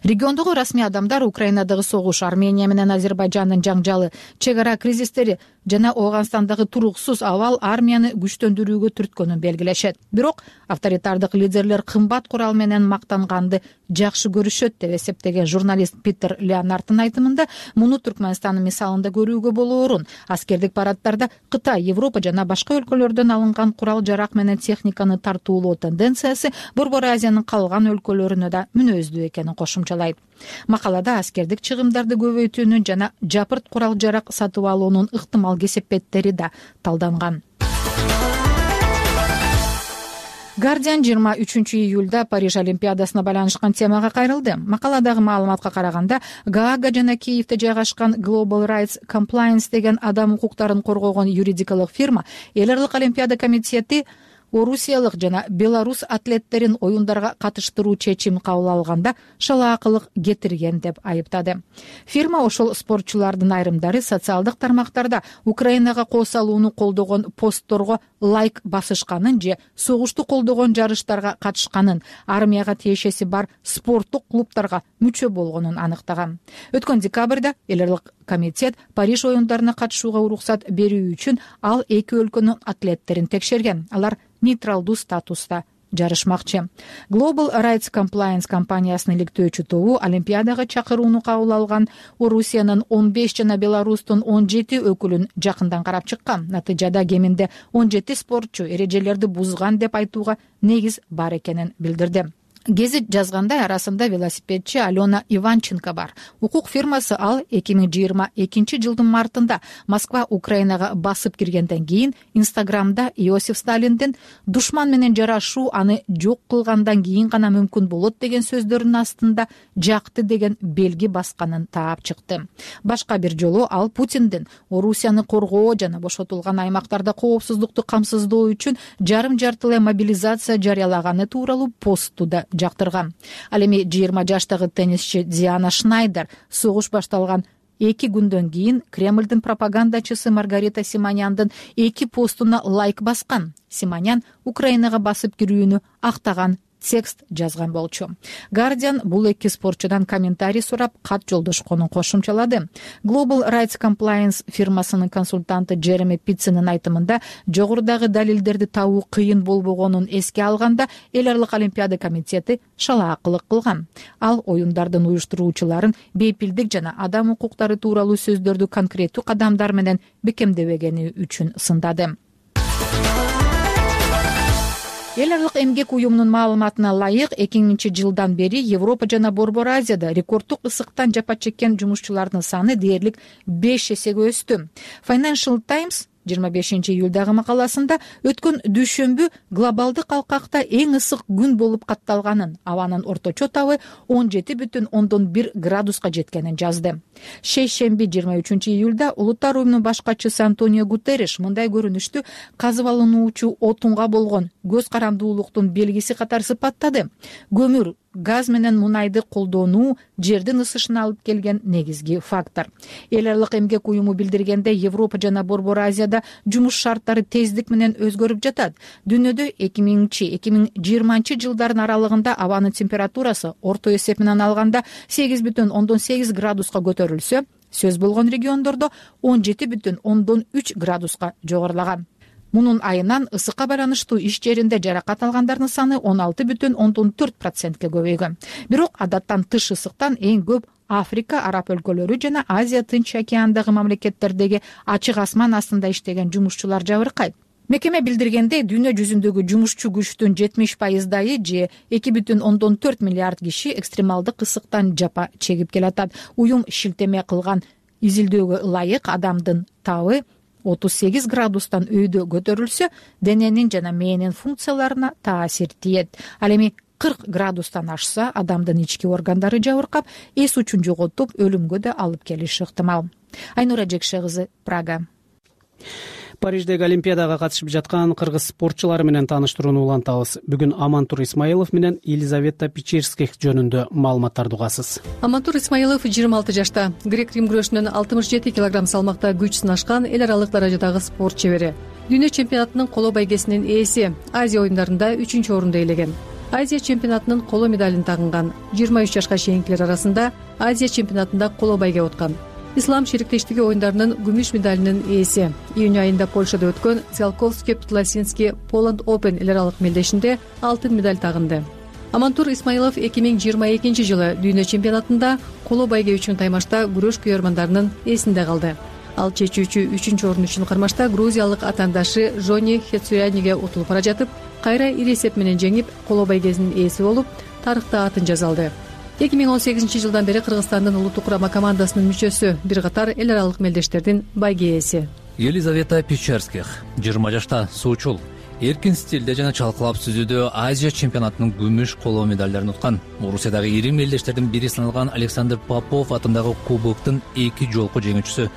Региондогу расмий адамдар Украинадагы согуш, Армения менен Азербайжандын жаңжалы, чек ара кризистери жана Ооганстандагы туруксуз абал армияны күчтөндүрүүгө түрткөнүн белгилешет. Бирок авторитардык лидерлер кымбат курал менен мактанганды жакшы көрүшөт деп эсептеген журналист Питер Леонардтын айтымында, муну Түркмөнстандын мисалында көрүүгө болоорун. Аскердик парадтарда Кытай, Европа жана башка өлкөлөрдөн алынган курал-жарак менен техниканы тартуулоо тенденциясы Борбор Азиянын калган өлкөлөрүнө да мүнөздүү экенин кошумчалайт. Макалада аскердик чыгымдарды көбөйтүүнүн жана жапырт курал-жарак сатып алуунун ыктымал кесепеттери да талданган. Guardian жыйырма үчүнчү июлда Париж Олимпиадасына байланышкан темага кайрылды. Макаладагы маалыматка караганда, Гаага жана Киевде жайгашкан Global Rights Compliance деген адам укуктарын коргогон юридикалык фирма эл аралык Олимпиада комитети орусиялык жана белорус атлеттерин оюндарга катыштыруу чечим кабыл алганда шалаакылык кетирген деп айыптады. Фирма ошол спортчулардын айрымдары социалдык тармактарда Украинага кол салууну колдогон постторго лайк басышканын же согушту колдогон жарыштарга катышканын, армияга тиешеси бар спорттук клубтарга мүчө болгонун аныктаган. Өткөн декабрда эл аралык комитет Париж оюндарына катышууга уруксат берүү үчүн ал эки өлкөнүн атлеттерин текшерген. Алар нейтралдуу статуста жарышмакчы. Global Rights Compliance компаниясынын иликтөөчү тобу Олимпиадага чакырууну кабыл алган Орусиянын он беш жана Беларустун он жети өкүлүн жакындан карап чыккан. Натыйжада кеминде он жети спортчу эрежелерди бузган деп айтууга негиз бар экенин билдирди. Гезит жазгандай арасында велосипедчи Алена Иванченко бар. Укук фирмасы ал эки миң жыйырма экинчи жылдын мартында Москва Украинага басып киргенден кийин Инстаграмда Иосиф Сталиндин душман менен жарашуу аны жок кылгандан кийин гана мүмкүн болот деген сөздөрүнүн астында жакты деген белги басканын таап чыкты. Башка бир жолу ал Путиндин Орусияны коргоо жана бошотулган аймактарда коопсуздукту камсыздоо үчүн жарым жартылай мобилизация жарыялаганы тууралуу постту да жактырган. Ал эми жыйырма жаштагы теннисчи Диана Шнайдер согуш башталган эки күндөн кийин Кремлдин пропагандачысы Маргарита Симоняндын эки постуна лайк баскан. Симонян Украинага басып кирүүнү актаган текст жазган болчу. Guardian бул эки спортчудан комментарий сурап кат жолдошконун кошумчалады. Global Rights Compliance фирмасынын консультанты Джереми Питцинин айтымында жогорудагы далилдерди табуу кыйын болбогонун эске алганда эл аралык Олимпиада комитети шалаакылык кылган. Ал оюндардын уюштуруучуларын бейпилдик жана адам укуктары тууралуу сөздөрдү конкреттүү кадамдар менен бекемдебегени үчүн сындады. Эл аралык эмгек уюмунун маалыматына ылайык эки миңинчи жылдан бери Европа жана Борбор Азияда рекорддук ысыктан жапа чеккен жумушчулардын саны дээрлик беш эсеге өстү. Financial Times жыйырма бешинчи июлдагы макаласында өткөн дүйшөмбү глобалдык алкакта эң ысык күн болуп катталганын, абанын орточо табы он жети бүтүн ондон бир градуска жеткенин жазды. Шейшемби жыйырма үчүнчү июлда Улуттар уюмунун башкачысы Антонио Гутерриш мындай көрүнүштү казып алынуучу отунга болгон көз карандуулуктун белгиси катары сыпаттады. Көмүр, газ менен мунайды колдонуу жердин ысышына алып келген негизги фактор. Эл аралык эмгек уюму билдиргенде Европа жана Борбор Азияда жумуш шарттары тездик менен өзгөрүп жатат. Дүйнөдө эки миңинчи эки миң жыйырманчы жылдардын аралыгында абанын температурасы орто эсеп менен алганда сегиз бүтүн ондон сегиз градуска көтөрүлсө, сөз болгон региондордо он жети бүтүн ондон үч градуска жогорулаган. Мунун айынан ысыкка байланыштуу иш жеринде жаракат алгандардын саны он алты бүтүн ондон төрт процентке көбөйгөн. Бирок адаттан тыш ысыктан эң көп Африка, Араб өлкөлөрү жана Азия Тынч океандагы мамлекеттердеги ачык асман астында иштеген жумушчулар жабыркайт. Мекеме билдиргендей, дүйнө жүзүндөгү жумушчу күчтүн жетимиш пайыздайы же эки бүтүн ондон төрт миллиард киши экстремалдык ысыктан жапа чегип келатат. Уюм шилтеме кылган изилдөөгө ылайык адамдын табы отуз сегиз градустан өйдө көтөрүлсө, дененин жана мээнин функцияларына таасир тиет. Ал эми кырк градустан ашса, адамдын ички органдары жабыркап, эс учун жоготуп, өлүмгө да алып келиши ыктымал. Айнура Жекше кызы, Прага. Париждеги Олимпиадага катышып жаткан кыргыз спортчулары менен тааныштырууну улантабыз. Бүгүн Амантур Исмаилов менен Елизавета Печерских жөнүндө маалыматтарды угасыз. Амантур Исмаилов жыйырма алты жашта, грек-рим күрөшүнөн алтымыш жети килограмм салмакта күч сынашкан эл аралык даражадагы спорт чебери. Дүйнө чемпионатынын коло байгесинин ээси, Азия оюндарында үчүнчү орунду ээлеген. Азия чемпионатынын коло медалин тагынган. жыйырма үч жашка чейинкилер арасында Азия чемпионатында коло байге откан. Ислам шериктештиги оюндарынын күмүш медалинин ээси. Июнь айында Польшада өткөн Циолковский Тласинский Poland Open эл аралык мелдешинде алтын медаль тагынды. Амантур Исмаилов эки миң жыйырма экинчи жылы дүйнө чемпионатында коло байге үчүн таймашта күрөш күйөрмандарынын эсинде калды. Ал чечүүчү үчүнчү орун үчүн кармашта грузиялык атаандашы Жони Хецуяниге утулуп бара жатып, кайра ири эсеп менен жеңип, коло байгесинин ээси болуп, тарыхта атын жаза алды. эки миң он сегизинчи жылдан бери Кыргызстандын улуттук курама командасынын мүчөсү, бир катар эл аралык мелдештердин байге ээси. Елизавета Печерских жыйырма жашта, суучул. Эркин стилде жана чалкалап сүзүүдө Азия чемпионатынын күмүш коло медалдарын уткан. Орусиядагы ири мелдештердин бири саналган Александр Попов атындагы кубоктун эки жолку жеңүүчүсү.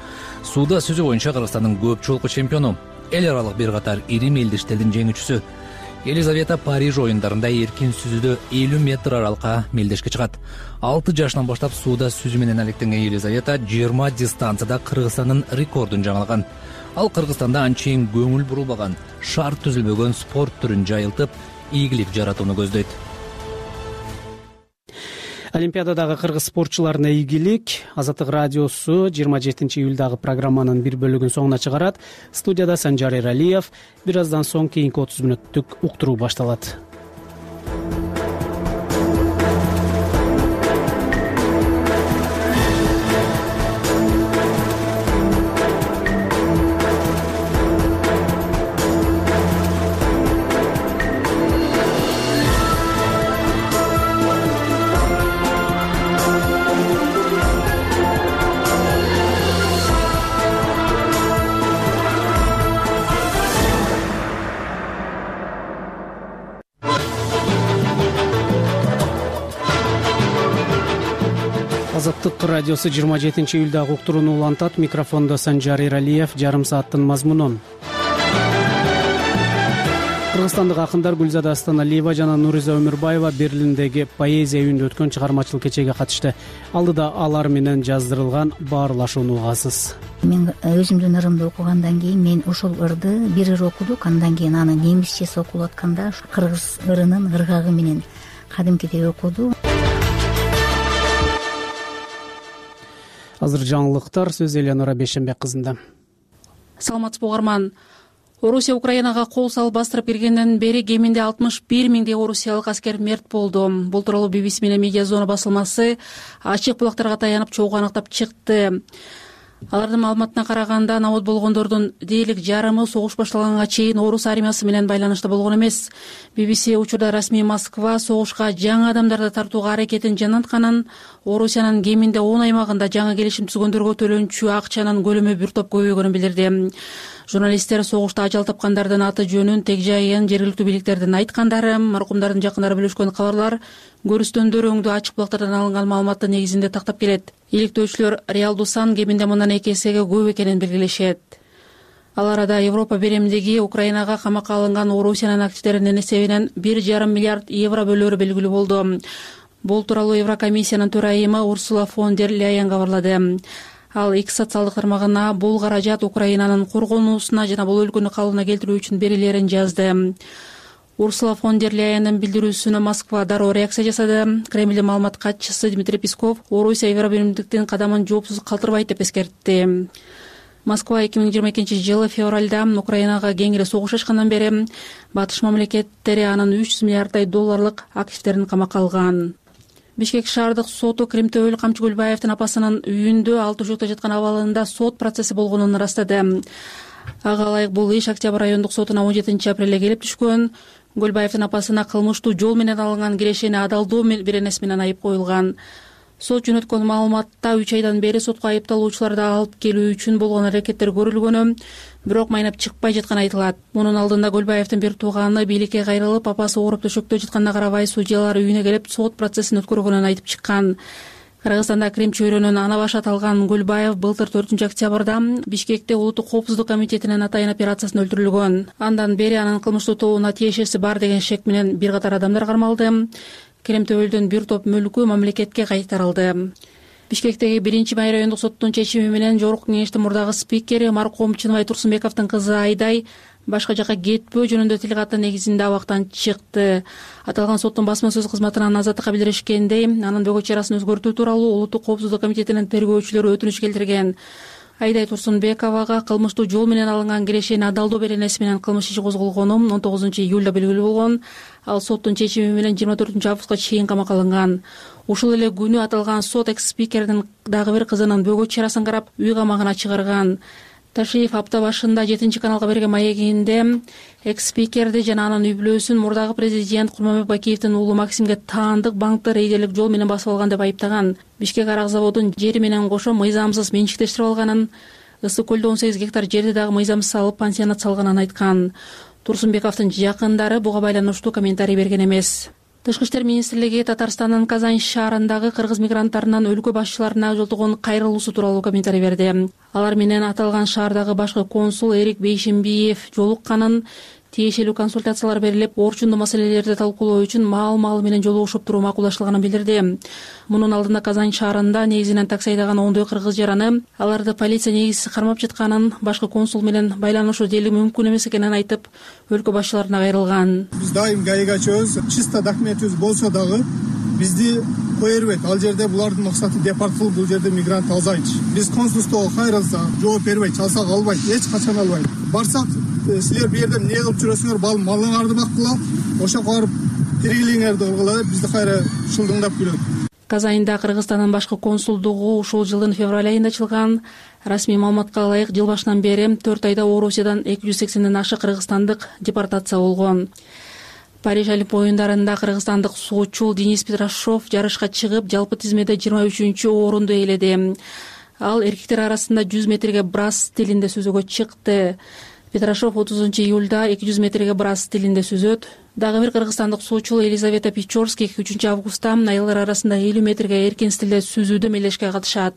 Сууда сүзүү боюнча Кыргызстандын көп жолку чемпиону, эл аралык бир катар ири мелдештердин жеңүүчүсү. Елизавета Париж оюндарында эркин сүзүүдө элүү метр аралыкка мелдешке чыгат. алты жашынан баштап сууда сүзүү менен алектенген Елизавета жыйырма дистанцияда Кыргызстандын рекордун жаңылаган. Ал Кыргызстанда анчейин көңүл бурулбаган, шар түзүлбөгөн спорт түрүн жайылтып, ийгилик жаратууну көздөйт. Олимпиададагы кыргыз спортчуларына ийгилик. Азаттык радиосу жыйырма жетинчи июлдагы программанын бир бөлүгүн соңуна чыгарат. Студияда Санжар Эралиев. Бир аздан соң кийинки отуз мүнөттүк уктуруу башталат. азаттык радиосу жыйырма жетинчи июлдагы уктурууну улантат. Микрофондо Санжар Иралиев. Жарым сааттын мазмунун. Кыргызстандык акындар Гүлзада Астаналиева жана Нуриза Өмүрбаева Берлиндеги поэзия үйүндө өткөн чыгармачылык кечеге катышты. Алдыда алар менен жаздырылган баарлашууну угасыз. Мен өзүмдүн ырымды окугандан кийин мен ошол ырды бир ыр окудук, андан кийин аны немисчеси окулуп атканда кыргыз ырынын ыргагы менен кадимкидей окуду. Азыр жаңылыктар, сөз Элеонора Бейшенбек кызында. Саламатсызбы угарман. Орусия Украинага кол салып бастырып киргенден бери кеминде алтымыш бир миңдей орусиялык аскер мерт болду. Бул тууралуу би би си менен Медиа Зона басылмасы ачык булактарга таянып чогуу аныктап чыкты. Алардын маалыматына караганда, набот болгондордун дээрлик жарымы согуш башталганга чейин орус армиясы менен байланышта болгон эмес. би би си учурда расмий Москва согушка жаңы адамдарды тартууга аракетин жанатканын, Орусиянын кеминде он аймагында жаңы келишим түзгөндөргө төлөнчү акчанын көлөмү бир топ көбөйгөнүн билдирди. Журналисттер согушта ажал тапкандардын аты жөнүн, тег жайын жергиликтүү бийликтердин айткандары, маркумдардын жакындары бөлүшкөн кабарлар, көрүстөндөр өңдүү ачык булактардан алынган маалыматтын негизинде тактап келет. Иликтөөчүлөр реалдуу сан кеминде мындан эки эсеге көп экенин белгилешет. Ал арада Европа беремдиги Украинага камакка алынган Орусиянын активдеринин эсебинен бир жарым миллиард евро бөлөөрү белгилүү болду. Бул тууралуу Еврокомиссиянын төрайымы Урсула фон дер Ляйен кабарлады. Ал X социалдык тармагына бул каражат Украинанын коргонуусуна жана бул өлкөнү калыбына келтирүү үчүн берилерин жазды. Урсула фон дер Ляйендин билдирүүсүнө Москва дароо реакция жасады. Кремлдин маалымат катчысы Дмитрий Песков Орусия Евробиримдиктин кадамын жоопсуз калтырбайт деп эскертти. Москва эки миң жыйырма экинчи жылы февралда Украинага кеңири согуш ачкандан бери батыш мамлекеттери анын үч жүз миллиарддай долларлык активдерин камакка алган. Бишкек шаардык соту Кремтөбөл Камчы Гүлбаевдин апасынын үйүндө алты ошокто жаткан абалында сот процесси болгонун ырастады. Ага ылайык бул иш Октябрь райондук сотуна он жетинчи апрелде келип түшкөн. Гүлбаевдин апасына кылмыштуу жол менен алынган кирешени адалдоо беренеси менен айып коюлган. Сот жөнөткөн маалыматта үч айдан бери сотко айыпталуучуларды алып келүү үчүн болгон аракеттер көрүлгөнү, бирок майнап чыкпай жатканы айтылат. Мунун алдында Гүлбаевдин бир тууганы бийликке кайрылып, апасы ооруп төшөктө жатканына карабай судьялар үйүнө келип сот процессин өткөргөнүн айтып чыккан. Кыргызстанда Крим чөйрөнүн ана башы аталган Гүлбаев былтыр төртүнчү октябрда Бишкекте Улуттук коопсуздук комитетинин атайын операциясында өлтүрүлгөн. Андан бери анын кылмыштуу тобуна тиешеси бар деген шек менен бир катар адамдар кармалды. Кремтөбөлдүн бир топ мүлкү мамлекетке кайтарылды. Бишкектеги биринчи май райондук соттун чечими менен Жогорку кеңештин мурдагы спикери маркум Чыныбай Турсунбековдун кызы Айдай башка жакка кетпөө жөнүндө тил каттын негизинде абактан чыкты. Аталган соттун басма сөз кызматынан Азаттыкка билдиришкендей, анын бөгөт чарасын өзгөртүү тууралуу Улуттук коопсуздук комитетинин тергөөчүлөрү өтүнүч келтирген. Айдай Турсунбековага кылмыштуу жол менен алынган кирешени адалдоо беренеси менен кылмыш иши козголгону он тогузунчу июлда белгилүү болгон. Ал соттун чечими менен жыйырма төртүнчү августка чейин камакка алынган. Ушул эле күнү аталган сот экс-спикердин дагы бир кызынын бөгөт чарасын карап үй камагына чыгарган. Ташиев апта башында жетинчи каналга берген маегинде экс-спикерди жана анын үй бүлөсүн мурдагы президент Курманбек Бакиевдин уулу Максимге таандык банкты рейдерлик жол менен басып алган деп айыптаган. Бишкек арак заводун жери менен кошо мыйзамсыз менчиктештирип алганын, Ысык көлдө он сегиз гектар жерди дагы мыйзамсыз алып пансионат салганын айткан. Турсунбековдун жакындары буга байланыштуу комментарий берген эмес. Тышкы иштер министрлиги Татарстандын Казань шаарындагы кыргыз мигранттарынан өлкө башчыларына жолтогон кайрылуусу тууралуу комментарий берди. Алар менен аталган шаардагы башкы консул Эрик Бейшембиев жолукканын, тиешелүү консультациялар берилип, орчундуу маселелерди талкуулоо үчүн маал-маал менен жолугушуп туруу макулдаштылганын билдирди. Мунун алдында Казань шаарында негизинен такси айдаган ондой кыргыз жараны аларды полиция негизсиз кармап жатканын, башкы консул менен байланышуу дээрлик мүмкүн эмес экенин айтып, өлкө башчыларына кайрылган. Биз дайым гаига чөбүз, чисто документибиз болсо дагы бизди кое бербейт. Ал жерде булардын максаты депорт кылып, бул жерде мигрант азайчы. Биз консулствого кайрылса жооп бербейт, чалсак албайт, эч качан албайт. Барсак силер бул жерде эмне кылып жүрөсүңөр, бал малыңарды баккыла, ошоко барып тиригилиңерди кылгыла деп бизди кайра шылдыңдап күлөт. Казаньда Кыргызстандын башкы консулдугу ушул жылдын февраль айында ачылган. Расмий маалыматка ылайык жыл башынан бери төрт айда Орусиядан эки жүз сексенден ашык кыргызстандык депортация болгон. Париж Олимп оюндарында кыргызстандык суучул Денис Петрашов жарышка чыгып, жалпы тизмеде жыйырма үчүнчү орунду ээледи. Ал эркектер арасында жүз метрге брас стилинде сүзүүгө чыкты. Петрашов отузунчу июлда эки жүз метрге брас стилинде сүзөт. Дагы бир кыргызстандык суучул Елизавета Печорский үчүнчү августта аялдар арасында элүү метрге эркин стилде сүзүүдө мелдешке катышат.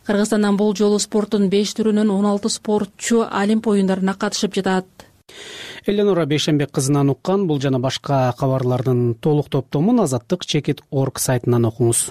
Кыргызстандан бул жолу спорттун беш түрүнөн он алты спортчу Олимп оюндарына катышып жатат. Эленора Бейшенбек кызынан уккан бул жана башка кабарлардын толук топтомун азаттык чекит точка орг сайтынан окуңуз.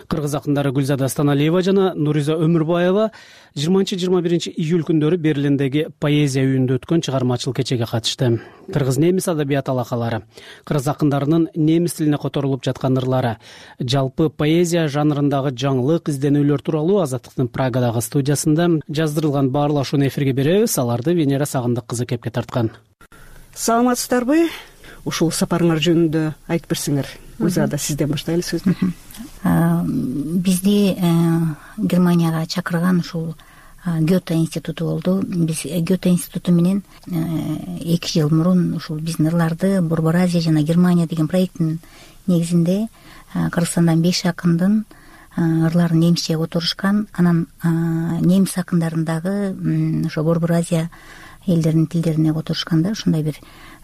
Кыргыз акындары Гүлзада Станалиева жана Нуриза Өмүрбаева жыйырманчы жыйырма биринчи июль күндөрү Берлиндеги поэзия үйүндө өткөн чыгармачылык кечеге катышты. Кыргыз немис адабият алакалары, кыргыз акындарынын немис тилине которулуп жаткан ырлары, жалпы поэзия жанрындагы жаңылык изденүүлөр тууралуу Азаттыктын Прагадагы студиясында жаздырылган баарлашууну эфирге беребиз. Аларды Венера Сагындык кызы кепке тарткан. Саламатсыздарбы? Ушул сапарыңар жөнүндө айтып берсеңер. Гүлзада, сизден баштайлы сөздү. Бизди Германияга чакырган ушул Гёте институту болду. Биз Гёте институту менен эки жыл мурун ушул биздин ырларды Борбор Азия жана Германия деген проекттин негизинде Кыргызстандан беш акындын ырларын немисче которушкан. Анан немис акындарын дагы ошо Борбор Азия элдеринин тилдерине которушканда ушундай бир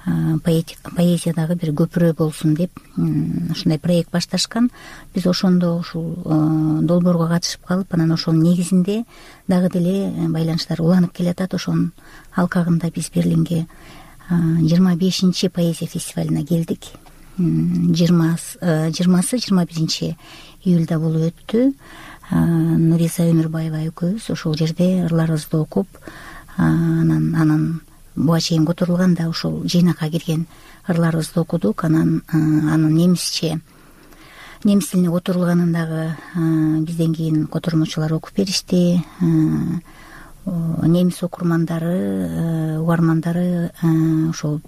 поэзиядагы бир көпүрө болсун деп ушундай проект башташкан. Биз ошондо ушул долбоорго катышып калып, анан ошонун негизинде дагы деле байланыштар уланып келатат. Ошонун алкагында биз Берлинге жыйырма бешинчи поэзия фестивалына келдик. жыйырмасы жыйырма биринчи июлда болуп өттү. Нуриза Өмүрбаева экөөбүз ошол жерде ырларыбызды окуп, анан анан буга чейин которулган да ушул жыйнакка кирген ырларыбызды окудук. Анан анын немисче немис тилине которулганын дагы бизден кийин котормочулар окуп беришти. Немис окурмандары, угармандары ошол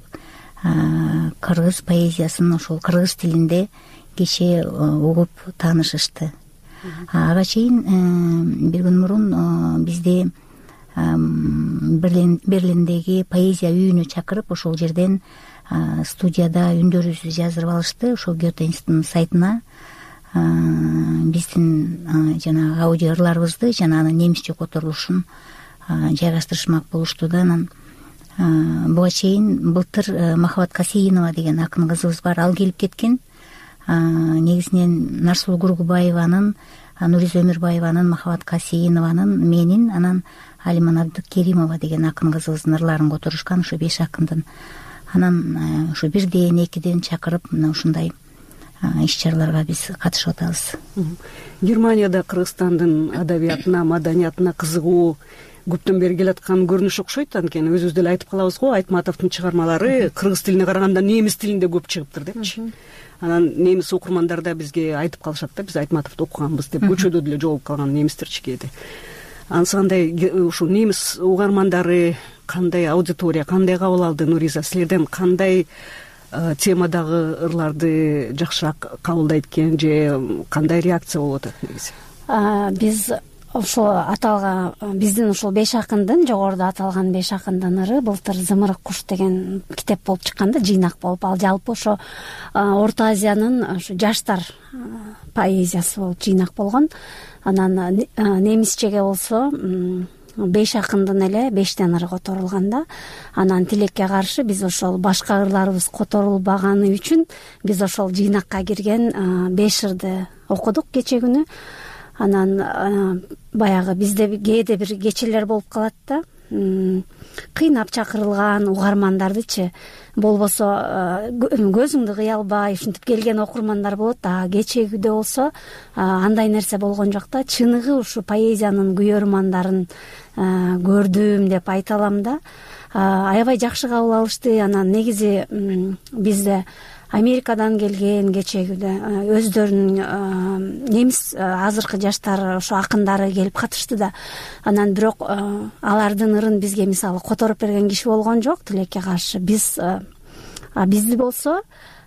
кыргыз поэзиясын ошол кыргыз тилинде кечээ угуп таанышышты. Ага чейин бир күн мурун бизди Берлиндеги поэзия үйүнө чакырып, ошол жерден студияда үндөрүбүздү жаздырып алышты. Ошол Гёте институтунун сайтына биздин жана аудио ырларыбызды жана анын немисче которулушун жайгаштырышмак болушту да. Анан буга чейин былтыр Махабат Касейинова деген акын кызыбыз бар, ал келип кеткен. Негизинен Нарсулуу Кургубаеванын, Нуриза Өмүрбаеванын, Махабат Касейинованын, менин, анан Алиман Абдыкеримова деген акын кызыбыздын ырларын которушкан ушу беш акындын. Анан ушу бирден экиден чакырып мына ушундай иш-чараларга биз катышып атабыз. Германияда Кыргызстандын адабиятына, маданиятына кызыгуу көптөн бери келаткан көрүнүш окшойт. Анткени өзүбүз деле айтып калабыз го, Айтматовдун чыгармалары кыргыз тилине караганда немис тилинде көп чыгыптыр депчи. Анан немис окурмандар да бизге айтып калышат да, биз Айтматовду окуганбыз деп, көчөдө деле жолугуп калган немистерчи кээде. Анысы кандай ушул немис угармандары кандай аудитория, кандай кабыл алды? Нуриза, силерден кандай темадагы ырларды жакшыраак кабылдайт экен же кандай реакция болуп атат негизи? Биз ошол аталган биздин ушул беш акындын, жогоруда аталган беш акындын ыры былтыр Зымырык куш деген китеп болуп чыккан да, жыйнак болуп. Ал жалпы ошо Орто Азиянын ошо жаштар поэзиясы болуп жыйнак болгон. Анан немисчеге болсо беш акындын эле бештен ыры которулган да. Анан тилекке каршы биз ошол башка ырларыбыз которулбаганы үчүн биз ошол жыйнакка кирген беш ырды окудук кече күнү. Анан баягы бизде кээде бир кечелер болуп калат да, кыйнап чакырылган угармандардычы, болбосо көзүңдү кыя албай ушинтип келген окурмандар болот. А кечегүдө болсо андай нерсе болгон жок да, чыныгы ушу поэзиянын күйөрмандарын көрдүм деп айта алам да. Аябай жакшы кабыл алышты. Анан негизи бизде Америкадан келген кечегүдө өздөрүнүн немис азыркы жаштар ошо акындары келип катышты да. Анан бирок алардын ырын бизге мисалы которуп берген киши болгон жок, тилекке каршы. Биз бизди болсо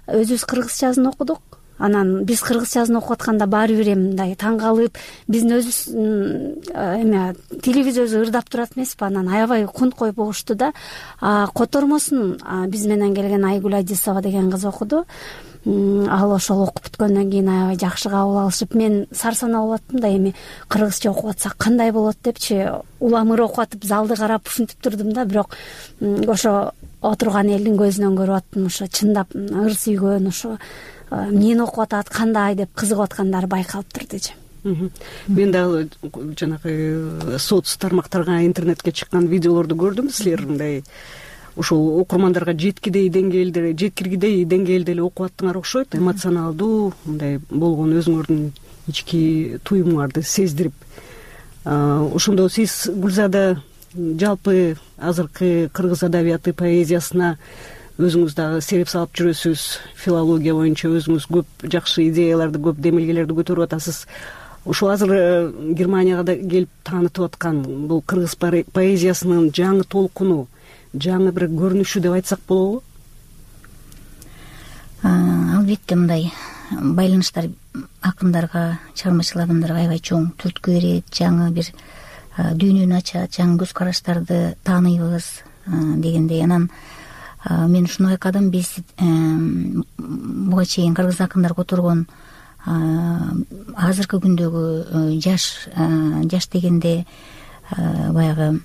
өзүбүз кыргызчасын окудук, анан биз кыргызчасын окуп атканда баары бир эми мындай таң калып биздин өзүбүз эме тилибиз өзү ырдап турат эмеспи, анан аябай кунт коюп угушту да. Котормосун биз менен келген Айгүл Адисова деген кыз окуду. Ал ошол окуп бүткөндөн кийин аябай жакшы кабыл алышып, мен сарсанаа болуп аттым да, эми кыргызча окуп атсак кандай болот депчи, уламыр окуп атып залды карап ушинтип турдум да. Бирок ошо отурган элдин көзүнөн көрүп аттым, ошо чындап ыр сүйгөн, ошо эмнени окуп атат, кандай деп кызыгып аткандары байкалып турдучу. Мен дагы жанагы соц тармактарга, интернетке чыккан видеолорду көрдүм. Силер мындай ушул окурмандарга жеткидей деңгээлде, жеткиргидей деңгээлде эле окуп аттыңар окшойт. Эмоционалдуу мындай болгон өзүңөрдүн ички туюмуңарды сездирип. Ошондо сиз Гүлзада жалпы азыркы кыргыз адабияты поэзиясына өзүңүз дагы сереп салып жүрөсүз. Филология боюнча өзүңүз көп жакшы идеяларды, көп демилгелерди көтөрүп атасыз. Ушул азыр Германияга да келип таанытып аткан бул кыргыз поэзиясынын жаңы толкуну, жаңы бир көрүнүшү деп айтсак болобу? Албетте мындай байланыштар акындарга, чыгармачыл адамдарга аябай чоң түрткү берет, жаңы бир дүйнөнү ачат, жаңы көз караштарды тааныйбыз дегендей. Анан мен ушуну байкадым, биз буга чейин кыргыз акындар которгон азыркы күндөгү жаш жаш дегенде баягы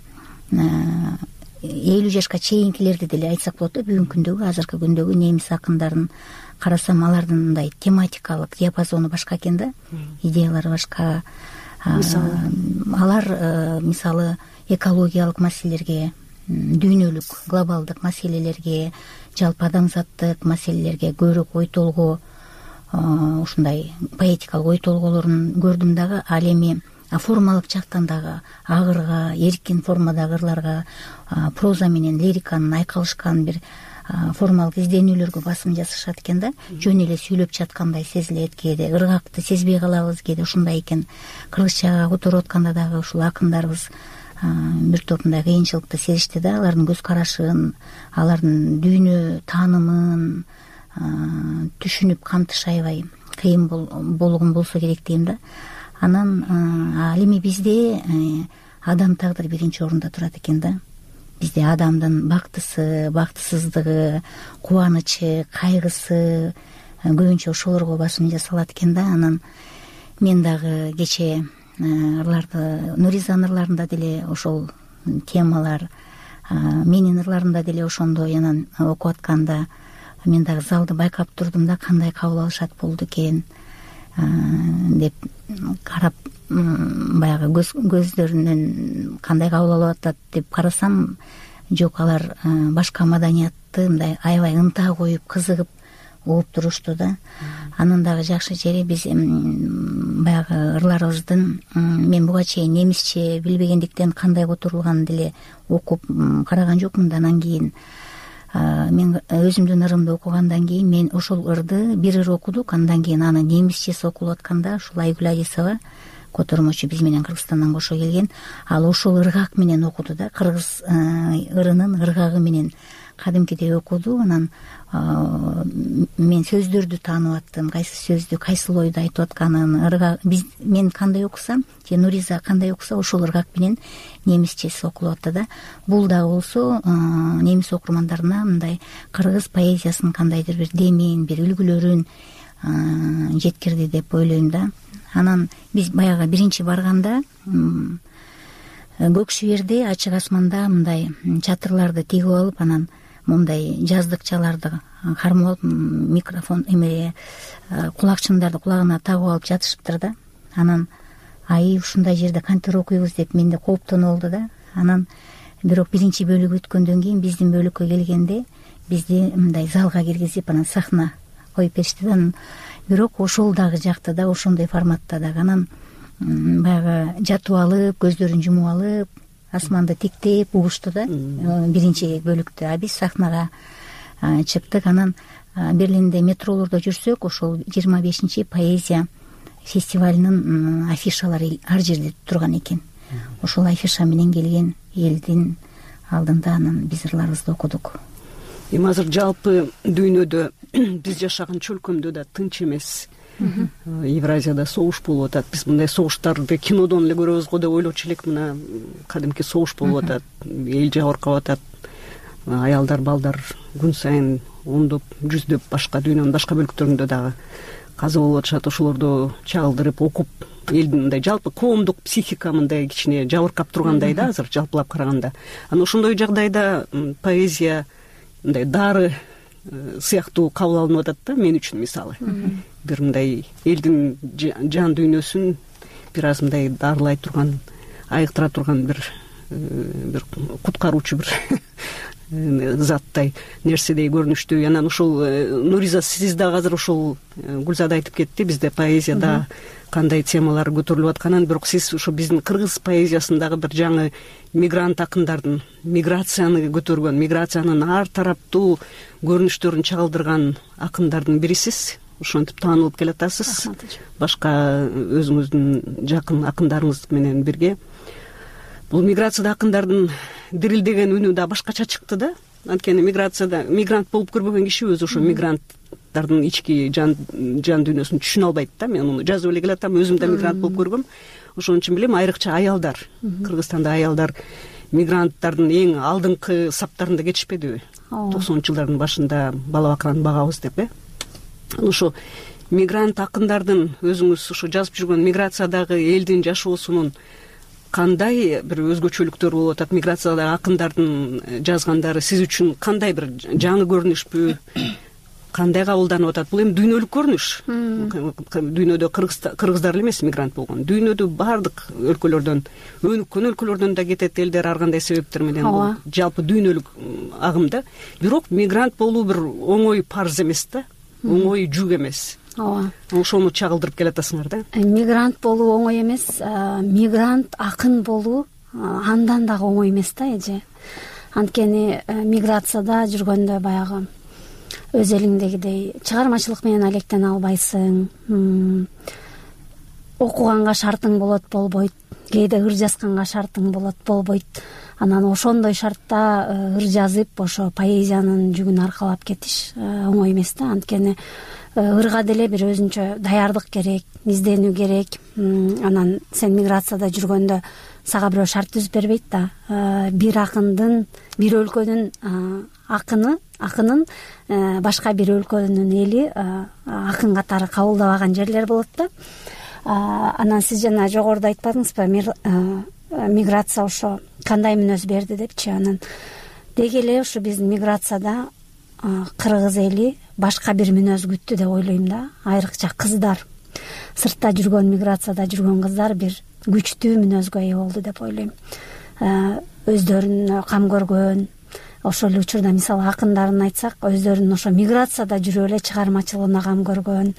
элүү жашка чейинкилерди деле айтсак болот да. Бүгүнкү күндөгү, азыркы күндөгү немис акындарын карасам, алардын мындай тематикалык диапазону башка экен да, идеялары башка. Алар мисалы экологиялык маселелерге, дүйнөлүк глобалдык маселелерге, жалпы адамзаттык маселелерге көбүрөөк ой толгоо, ушундай поэтикалык ой толголорун көрдүм дагы. Ал эми формалык жактан дагы агырга, эркин формадагы ырларга, проза менен лириканын айкалышкан бир формалык изденүүлөргө басым жасашат экен да. Жөн эле сүйлөп жаткандай сезилет, кээде ыргакты сезбей калабыз, кээде ушундай экен. Кыргызчага которуп атканда дагы ушул акындарыбыз бир топ мындай кыйынчылыкты сезишти да. Алардын көз карашын, алардын дүйнө таанымын түшүнүп камтыш аябай кыйын болгон болсо керек дейм да. Анан ал эми бизде адам тагдыры биринчи орунда турат экен да. Бизде адамдын бактысы, бактысыздыгы, кубанычы, кайгысы көбүнчө ошолорго басым жасалат экен да. Анан мен дагы кече ырларды, Нуризанын ырларында деле ошол темалар, менин ырларымда деле ошондой. Анан окуп атканда мен дагы залды байкап турдум да, кандай кабыл алышат болду экен деп карап, баягы көздөрүнөн кандай кабыл алып атат деп карасам, жок, алар башка маданиятты мындай аябай ынта коюп, кызыгып угуп турушту да. Анын дагы жакшы жери, биз баягы ырларыбыздын, мен буга чейин немисче билбегендиктен кандай которулганын деле окуп караган жокмун да. Анан кийин мен өзүмдүн ырымды окугандан кийин мен ошол ырды бир ыр окудук, андан кийин аны немисчеси окулуп атканда ушул Айгүл Адисова котормочу биз менен Кыргызстандан кошо келген, ал ошол ыргак менен окуду да, кыргыз ырынын ыргагы менен кадимкидей окуду. Анан мен сөздөрдү таанып аттым, кайсы сөздү, кайсыл ойду айтып атканын. Ыргак биз мен кандай окусам, же Нуриза кандай окуса, ошол ыргак менен немисчеси окулуп атты да. Бул дагы болсо немис окурмандарына мындай кыргыз поэзиясынын кандайдыр бир демин, бир үлгүлөрүн жеткирди деп ойлойм да. Анан биз баягы биринчи барганда көк шүйерде, ачык асманда мындай чатырларды тигип алып, анан мындай жаздыкчаларды кармап алып, микрофон эме кулакчындарды кулагына тагып алып жатышыптыр да. Анан ай ушундай жерде кантип окуйбуз деп менде кооптонуу болду да. Анан бирок биринчи бөлүк өткөндөн кийин биздин бөлүккө келгенде бизди мындай залга киргизип, анан сахна коюп беришти да. Бирок ошол дагы жакты да, ошондой форматта дагы. Анан баягы жатып алып, көздөрүн жумуп алып, асманды тиктеп угушту да биринчи бөлүктө. А биз сахнага чыктык. Анан Берлинде метролордо жүрсөк, ошол жыйырма бешинчи поэзия фестивалынын афишалары ар жерде турган экен. Ошол афиша менен келген элдин алдында анан биз ырларыбызды окудук. эми азыр жалпы дүйнөдө биз жашаган чөлкөмдө да тынч эмес. Евразияда согуш болуп атат. Биз мындай согуштарды кинодон эле көрөбүз го деп ойлочу элек. Мына кадимки согуш болуп атат, эл жабыркап атат, аялдар, балдар күн сайын ондоп, жүздөп башка дүйнөнүн башка бөлүктөрүндө дагы каза болуп атышат. Ошолорду чагылдырып окуп, элдин мындай жалпы коомдук психика мындай кичине жабыркап тургандай да азыр жалпылап караганда. Анан ошондой жагдайда поэзия мындай дары сыяктуу кабыл алынып атат да мен үчүн. Мисалы бир мындай элдин жан дүйнөсүн бир аз мындай дарылай турган, айыктыра турган бир бир куткаруучу бир заттай нерседей көрүнүштүү. Анан ушул Нуриза, сиз дагы азыр ушул Гүлзада айтып кетти, бизде поэзияда кандай темалар көтөрүлүп атканын. Бирок сиз ошо биздин кыргыз поэзиясындагы бир жаңы мигрант акындардын миграцияны көтөргөн, миграциянын ар тараптуу көрүнүштөрүн чагылдырган акындардын бирисиз. Ошентип таанылып келатасыз. Башка өзүңүздүн жакын акындарыңыз менен бирге. Бул миграцияда акындардын дирилдеген үнү да башкача чыкты да. Анткени миграцияда мигрант болуп көрбөгөн киши өзү ошо мигранттардын ички жан жан дүйнөсүн түшүнө албайт да. Мен муну жазып эле келатам, өзүм да мигрант болуп көргөм. Ошон үчүн билем, айрыкча аялдар, Кыргызстанда аялдар мигранттардын эң алдыңкы саптарында кетишпедиби? токсонунчу жылдардын башында бала бакыраны багабыз деп, э? Ошо мигрант акындардын өзүңүз ошо жазып жүргөн миграциядагы элдин жашоосунун кандай бир өзгөчөлүктөр болуп атат? Миграциядагы акындардын жазгандары сиз үчүн кандай бир жаңы көрүнүшпү? Кандай кабылданып атат? Бул эми дүйнөлүк көрүнүш. Дүйнөдө кыргыздар эле эмес мигрант болгон. Дүйнөдө баардык өлкөлөрдөн, өнүккөн өлкөлөрдөн да кетет элдер ар кандай себептер менен. Бул жалпы дүйнөлүк агым да. Бирок мигрант болуу бир оңой парз эмес да. Оңой жүк эмес. Ооба. Ошону чагылдырып келатасыңар да. Мигрант болуу оңой эмес, мигрант акын болуу андан дагы оңой эмес да эже. Анткени миграцияда жүргөндө баягы өз элиңдегидей чыгармачылык менен алектене албайсың. Окуганга шартың болот, болбойт. Кээде ыр жазганга шартың болот, болбойт. Анан ошондой шартта ыр жазып, ошо поэзиянын жүгүн аркалап кетиш оңой эмес да. Анткени ырга деле бир өзүнчө даярдык керек, изденүү керек. Анан сен миграцияда жүргөндө сага бирөө шарт түзүп бербейт да. Бир акындын, бир өлкөнүн акыны, акынын башка бир өлкөнүн эли акын катары кабылдабаган жерлер болот да. Анан сиз жана жогоруда айтпадыңызбы, миграция ошо кандай мүнөз берди депчи. Анан деги эле ушу биздин миграцияда кыргыз эли башка бир мүнөз күттү деп ойлойм да. Айрыкча кыздар, сыртта жүргөн, миграцияда жүргөн кыздар бир күчтүү мүнөзгө ээ болду деп ойлойм. Өздөрүнө кам көргөн, ошол эле учурда мисалы акындарын айтсак, өздөрүнүн ошо миграцияда жүрүп эле чыгармачылыгына кам көргөн,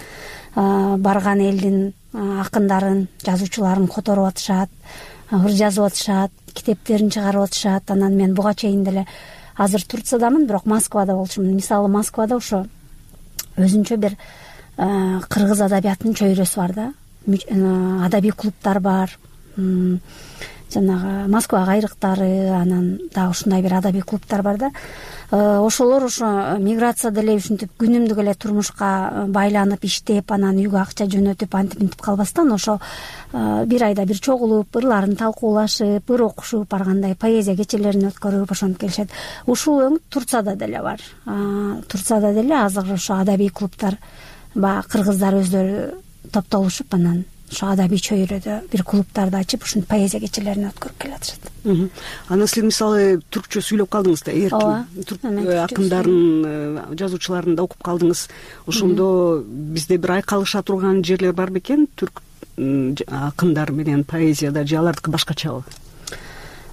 барган элдин акындарын, жазуучуларын которуп атышат, ыр жазып атышат, китептерин чыгарып атышат. Анан мен буга чейин деле азыр Турциядамын, бирок Москвада болчумун. Мисалы Москвада ошо өзүнчө бир кыргыз адабиятынын чөйрөсү бар да. Адабий клубтар бар. Жанагы Москва кайрыктары, анан дагы ушундай бир адабий клубтар бар да. Ошолор ошо миграцияда эле ушинтип күнүмдүк эле турмушка байланып иштеп, анан үйгө акча жөнөтүп, антип мынтип калбастан ошо бир айда бир чогулуп, ырларын талкуулашып, ыр окушуп, баргандай поэзия кечелерин өткөрүп ошентип келишет. Ушул өң Турцияда деле бар. Турцияда деле азыр ошо адабий клубтар, баягы кыргыздар өздөрү топтолушуп, анан ошо адабий чөйрөдө бир клубтарды ачып, ушинтип поэзия кечелерин өткөрүп келатышат. Анан сиз мисалы түркчө сүйлөп калдыңыз да, эркин түрк акындарын, жазуучуларын да окуп калдыңыз. Ошондо бизде бир айкалыша турган жерлер бар бекен, түрк акындар менен поэзияда, же алардыкы башкачабы?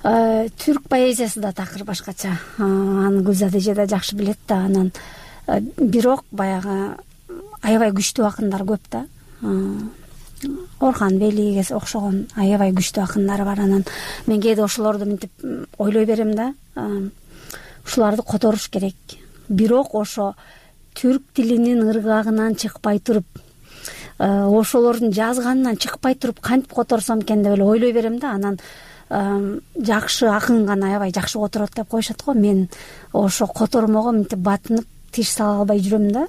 Түрк поэзиясы да такыр башкача. Аны Гүлзада эже да жакшы билет да. Анан бирок баягы аябай күчтүү акындар көп да. Орхан Велиге окшогон аябай күчтүү акындар бар. Анан мен кээде ошолорду мынтип ойлой берем да. Ушуларды которуш керек. Бирок ошо түрк тилинин ыргагынан чыкпай туруп, ошолордун жазганынан чыкпай туруп кантип которсом экен деп эле ойлой берем да. Анан жакшы акын гана аябай жакшы которот деп коюшат го. Мен ошо котормого мынтип батынып тиш сала албай жүрөм да.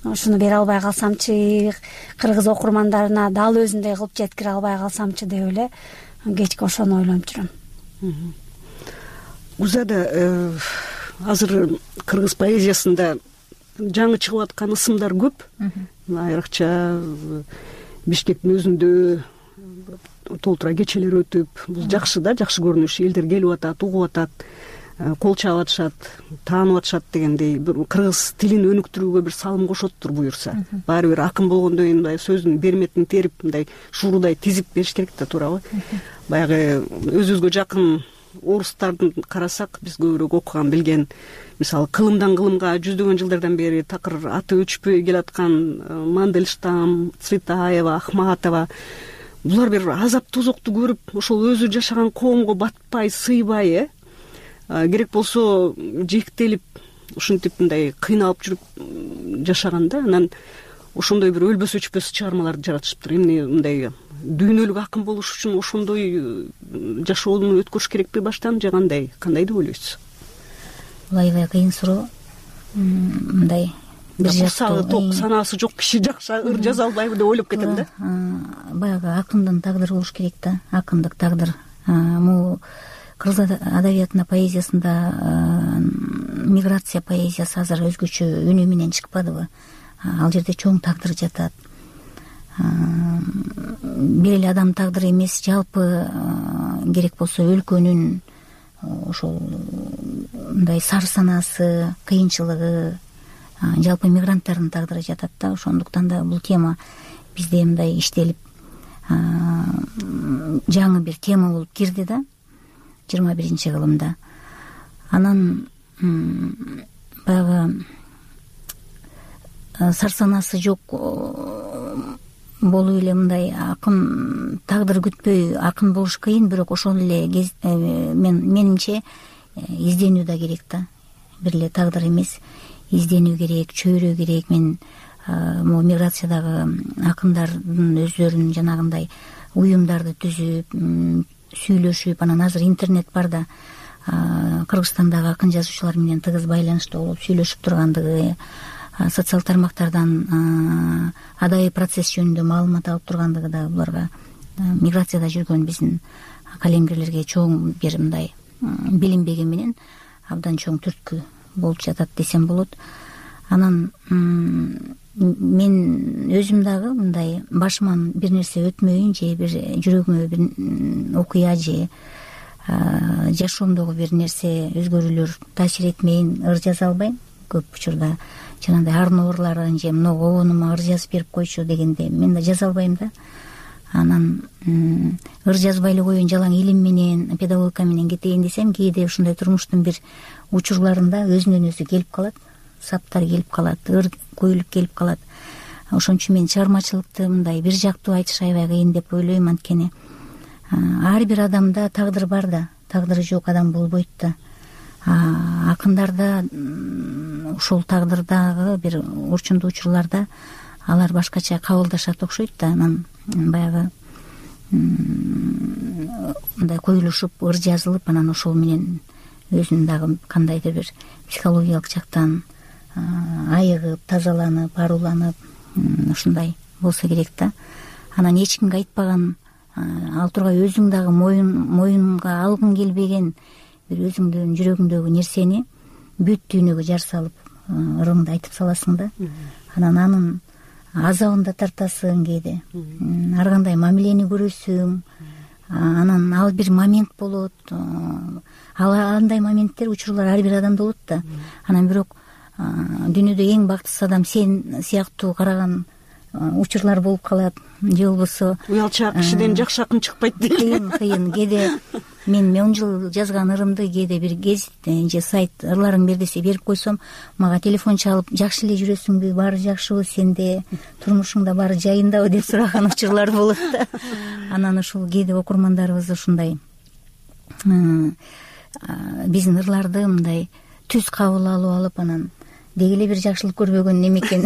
Ушуну бере албай калсамчы, кыргыз окурмандарына дал өзүндөй кылып жеткире албай калсамчы деп эле кечке ошону ойлонуп жүрөм. Узада азыр кыргыз поэзиясында жаңы чыгып аткан ысымдар көп. Айрыкча Бишкектин өзүндө толтура кечелер өтүп, бул жакшы да, жакшы көрүнүш. Элдер келип атат, угуп атат, кол чаап атышат, таанып атышат дегендей кыргыз тилин өнүктүрүүгө бир салым кошоттур буюрса. Баары бир акын болгондон кийин мындай сөздүн берметин терип, мындай шуурудай тизип бериш керек да, туурабы? Баягы өзүбүзгө жакын орустардын карасак, биз көбүрөөк окуган, билген, мисалы кылымдан кылымга жүздөгөн жылдардан бери такыр аты өчпөй келаткан Мандельштам, Цветаева, Ахматова, булар бир азап тозокту көрүп, ошол өзү жашаган коомго батпай, сыйбай, э керек болсо жектелип, ушинтип мындай кыйналып жүрүп жашаган да. Анан ошондой бир өлбөс өчпөс чыгармаларды жаратышыптыр. Эмне мындай дүйнөлүк акын болуш үчүн ошондой жашоону өткөрүш керекпи баштан, же кандай? Кандай деп ойлойсуз? Бул аябай кыйын суроо. Мындай бир жактуу ток санаасы жок киши жакшы ыр жаза албайбы деп ойлоп кетем да. Баягы акындын тагдыры болуш керек да, акындык тагдыр. Могу кыргыз адабиятында, поэзиясында миграция поэзиясы азыр өзгөчө үнүү менен чыкпадыбы? Ал жерде чоң тагдыр жатат. Бир эле адам тагдыры эмес, жалпы керек болсо өлкөнүн ошол мындай сар санаасы, кыйынчылыгы, жалпы мигранттардын тагдыры жатат да. Ошондуктан да бул тема бизде мындай иштелип жаңы бир тема болуп кирди да жыйырма биринчи кылымда. Анан баягы сар санаасы жок болуп эле мындай акын тагдыр күтпөй акын болуш кыйын, бирок ошол эле мен менимче изденүү да керек да. Бир эле тагдыр эмес, изденүү керек, чөйрө керек. Мен могу миграциядагы акындардын өздөрүнүн жанагындай уюмдарды түзүп, сүйлөшүп, анан азыр интернет бар да, Кыргызстандагы акын жазуучулар менен тыгыз байланышта болуп сүйлөшүп тургандыгы, социал тармактардан адайы процесс жөнүндө маалымат алып тургандыгы да буларга миграцияда жүргөн биздин калемгерлерге чоң бир мындай билинбеги менен абдан чоң түрткү болуп жатат десем болот. Анан мен өзүм дагы мындай башыман бир нерсе өтмөйүн, же бир жүрөгүмө бир окуя же жашоомдогу бир нерсе өзгөрүүлөр таасир этмейин, ыр жаза албайм. Көп учурда жанагындай арноорларын же мына обонума ыр жазып берип койчу дегенде мен да жаза албайм да. Анан ыр жазбай эле коеюн, жалаң илим менен, педагогика менен кетейин десем, кээде ушундай турмуштун бир учурларында өзүнөн өзү келип калат, саптар келип калат, ыр көйүлүп келип калат. Ошон үчүн мен чыгармачылыкты мындай бир жактуу айтыш аябай кыйын деп ойлойм. Анткени ар бир адамда тагдыр бар да, тагдыры жок адам болбойт да. Акындарда ушул тагдырдагы бир урчундуу учурларда алар башкача кабылдашат окшойт да. Анан баягы мындай коюлушуп, ыр жазылып, анан ошол менен өзүн дагы кандайдыр бир психологиялык жактан айыгып, тазаланып, аруланып, ушундай болсо керек да. Анан эч кимге айтпаган, ал тургай өзүң дагы моюн моюнга алгың келбеген бир өзүңдүн жүрөгүңдөгү нерсени бүт дүйнөгө жар салып ырыңды айтып саласың да. Анан анын азабын да тартасың кээде, ар кандай мамилени көрөсүң. Анан ал бир момент болот, ал андай моменттер, учурлар ар бир адамда болот да. Анан бирок дүйнөдө эң бактысыз адам сен сыяктуу караган учурлар болуп калат, же болбосо уялчаак кишиден жакшы акын чыкпайт дейт. Кыйын кыйын кээде мен он жыл жазган ырымды кээде бир гезит же сайт ырларың бер десе берип койсом, мага телефон чалып, жакшы эле жүрөсүңбү, баары жакшыбы сенде, турмушуңда баары жайындабы деп сураган учурлар болот да. Анан ушул кээде окурмандарыбыз ушундай биздин ырларды мындай түз кабыл алып алып, анан деги эле бир жакшылык көрбөгөн неме экен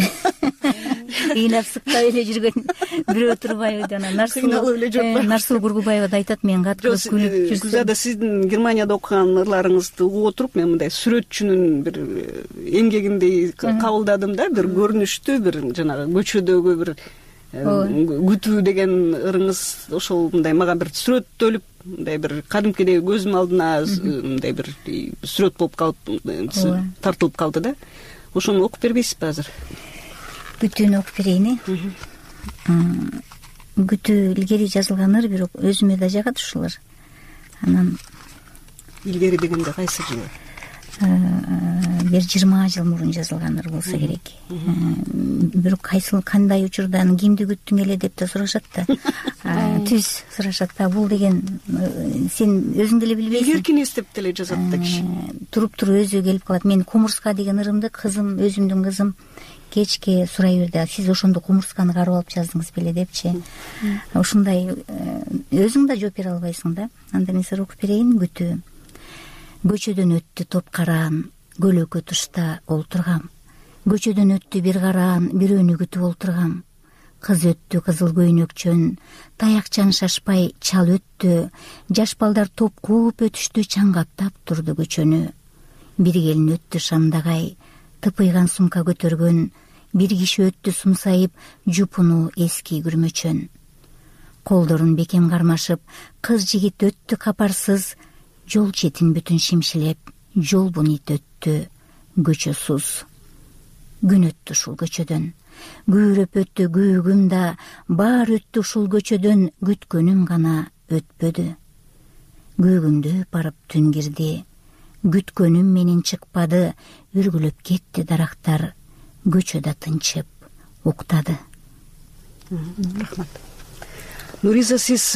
ыйнап сыктап эле жүргөн бирөө турбайбы жана сыйналып эле жок Нарсуу Бургубаева да айтат, мен каткырып күлүп жүрсөм. Гүлзада, сиздин Германияда окуган ырларыңызды угуп отуруп мен мындай сүрөтчүнүн бир эмгегиндей кабылдадым да, бир көрүнүштүү, бир жанагы көчөдөгү бир күтүү деген ырыңыз ошол мындай мага бир сүрөттөлүп, мындай бир кадимкидей көзүм алдына мындай бир сүрөт болуп калып тартылып калды да. Ошону окуп бербейсизби азыр? Күтүүнү окуп берейин. Күтүү илгери жазылган ыр, бирок өзүмө да жагат ушулар. Анан илгери дегенде кайсы жыл? Бир жыйырма жыл мурун жазылган ыр болсо керек. Бирок кайсыл кандай учурдан кимди күттүң эле деп да сурашат да. Түз сурашат да. Бул деген сен өзүң деле билбейсиң. Эркин эстеп деле жазат да киши. Туруп туруп өзү келип калат. Мен Кумурска деген ырымды кызым, өзүмдүн кызым кечке сурай берди. Сиз ошондо кумурсканы карап алып жаздыңыз беле депчи. Ушундай өзүң да жооп бере албайсың да. Анда мен сага окуп берейин. Күтүү. Көчөдөн өттү топ караан, көлөкө тушта олтургам. Көчөдөн өттү бир караан, бирөөнү күтүп олтургам. Кыз өттү кызыл көйнөкчөн, таякчан шашпай чал өттү. Жаш балдар топ кууп өтүштү, чаңгаптап турду көчөнү. Бир келин өттү шамдагай, тыпыйган сумка көтөргөн. Бир киши өттү сумсайып, жупуну эски күрмөчөн. Колдорун бекем кармашып, кыз жигит өттү капарсыз. Жол четин бүтүн шимшилеп, жолбун ит өттү, көчөсүз. Күн өттү ушул көчөдөн, күйрөп өттү күйүгүм да, баар өттү ушул көчөдөн, күткөнүм гана өтпөдү. Күйүгүмдү барып түн кирди, күткөнүм менен чыкпады, үргүлөп кетти дарактар, көчөдө тынчып уктады. Рахмат. Нуриза, сиз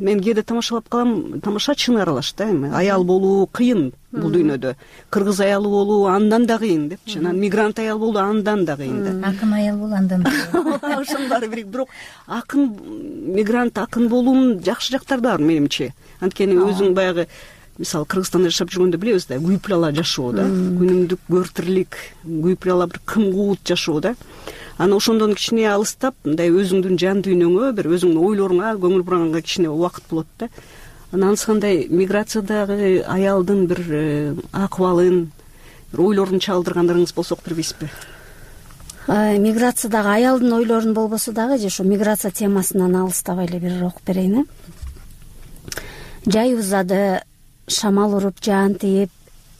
мен кээде тамашалап калам, тамашачыны аралаш да, эми аял болуу кыйын бул дүйнөдө. Кыргыз аялы болуу андан да кыйын депчи. Анан мигрант аял болуу андан да кыйын да. Акын аял болуу андан да. Ошонун баары бирик, бирок акын мигрант акын болуунун жакшы жактары да бар менимче. Анткени өзүң баягы мисалы Кыргызстанда жашап жүргөндө билебиз да, күйүп жашоо да, күнүмдүк көөртирлик, күйүп бир кымкуут жашоо да. Анан ошондон кичине алыстап, мындай өзүңдүн жан дүйнөңө, бир өзүңдүн ойлоруңа, көңүл бураганга кичине убакыт болот да. Анан андай миграциядагы аялдын бир акыбалын, бир ойлорун чагылдыргандарыңыз болсо окуп бербейсизби? Миграциядагы аялдын ойлорун болбосо дагы, же ошо миграция темасынан алыстабай эле бир окуп берейин. Жай узады, шамал уруп, жаан тийип,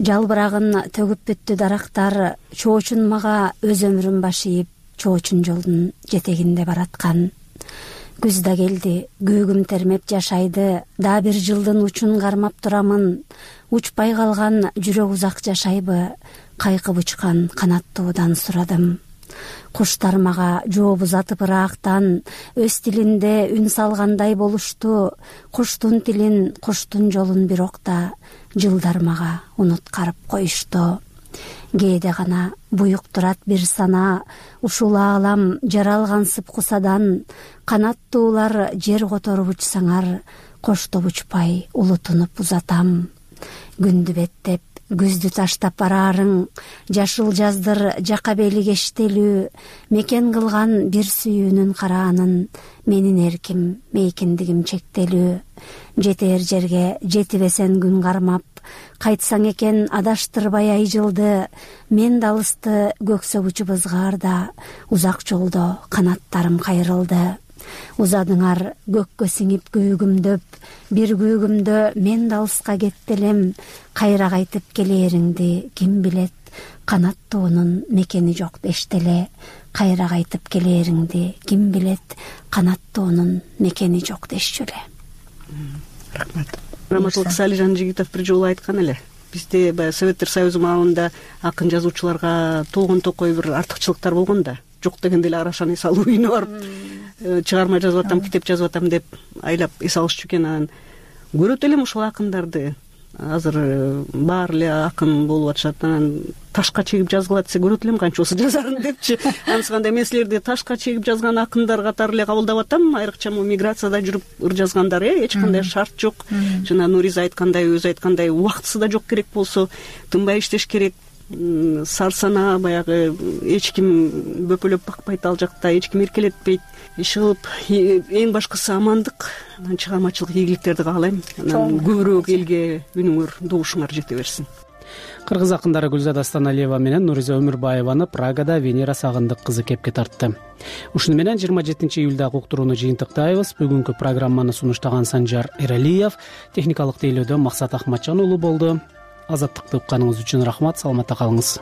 жалбырагын төгүп бүттү дарактар, чоочун мага өз өмүрүн башыйып, чоочун жолдун жетегинде бараткан. Күз да келди, көгүм термеп жашайды, да бир жылдын учун кармап турамын. Учпай калган жүрөк узак жашайбы, кайкып учкан канаттуудан сурадым. Куштар мага жооп узатып ыраактан, өз тилинде үн салгандай болушту. Куштун тилин, куштун жолун бирок да жылдар мага унуткарып коюшту. Кээде гана буюк турат бир сана, ушул аалам жаралгансып кусадан. Канаттуулар жер которуп учсаңар, коштоп учпай улутунуп узатам. Күндү беттеп, күздү таштап бараарың, жашыл жаздыр жака бели кештелүү, мекен кылган бир сүйүүнүн караанын, менин эрким, мейкиндигим чектелүү. Жетер жерге жетибесен күн кармап, кайтсаң экен адаштырбай ай жылды, мен да алысты көксөп учуп ызгаарда, узак жолдо канаттарым кайрылды. Узадыңар көккө сиңип күйүгүмдөп, бир күйүгүмдө мен да алыска кеттелем. Кайра кайтып келээриңди ким билет, канаттуунун мекени жок дештеле. Кайра кайтып келээриңди ким билет, канаттуунун мекени жок дешчү эле. Рахмат. Раматылык Салижан Жигитов бир жолу айткан эле, бизде баягы Советтер Союзу маалында акын жазуучуларга толгон токой бир артыкчылыктар болгон да. Жок дегенде эле Арашаны эс алуу үйүнө барып чыгарма жазып атам, китеп жазып атам деп айлап эс алышчу экен. Анан көрөт элем ушул акындарды. Азыр баары эле акын болуп атышат. Анан ташка чегип жазгыла десе көрөт элем канчоосу жазарын депчи. Анысыкандай мен силерди ташка чегип жазган акындар катары эле кабылдап атам. Айрыкча могу миграцияда жүрүп ыр жазгандар, э, эч кандай шарт жок. Жана Нуриза айткандай, өзү айткандай, убактысы да жок керек болсо, тынбай иштеш керек. сарсанаа, баягы эч ким бөпөлөп бакпайт, ал жакта эч ким эркелетпейт. Иш кылып эң башкысы амандык, анан чыгармачылык ийгиликтерди каалайм. Анан көбүрөөк элге үнүңөр, добушуңар жете берсин. Кыргыз акындары Гүлзада Астаналиева менен Нуриза Өмүрбаеваны Прагада Венера Сагындык кызы кепке тартты. Ушуну менен жыйырма жетинчи июлдагы уктурууну жыйынтыктайбыз. Бүгүнкү программаны сунуштаган Санжар Эралиев, техникалык тейлөөдө Максат Ахматжан уулу болду. Азаттыкты укканыңыз үчүн рахмат, саламатта калыңыз.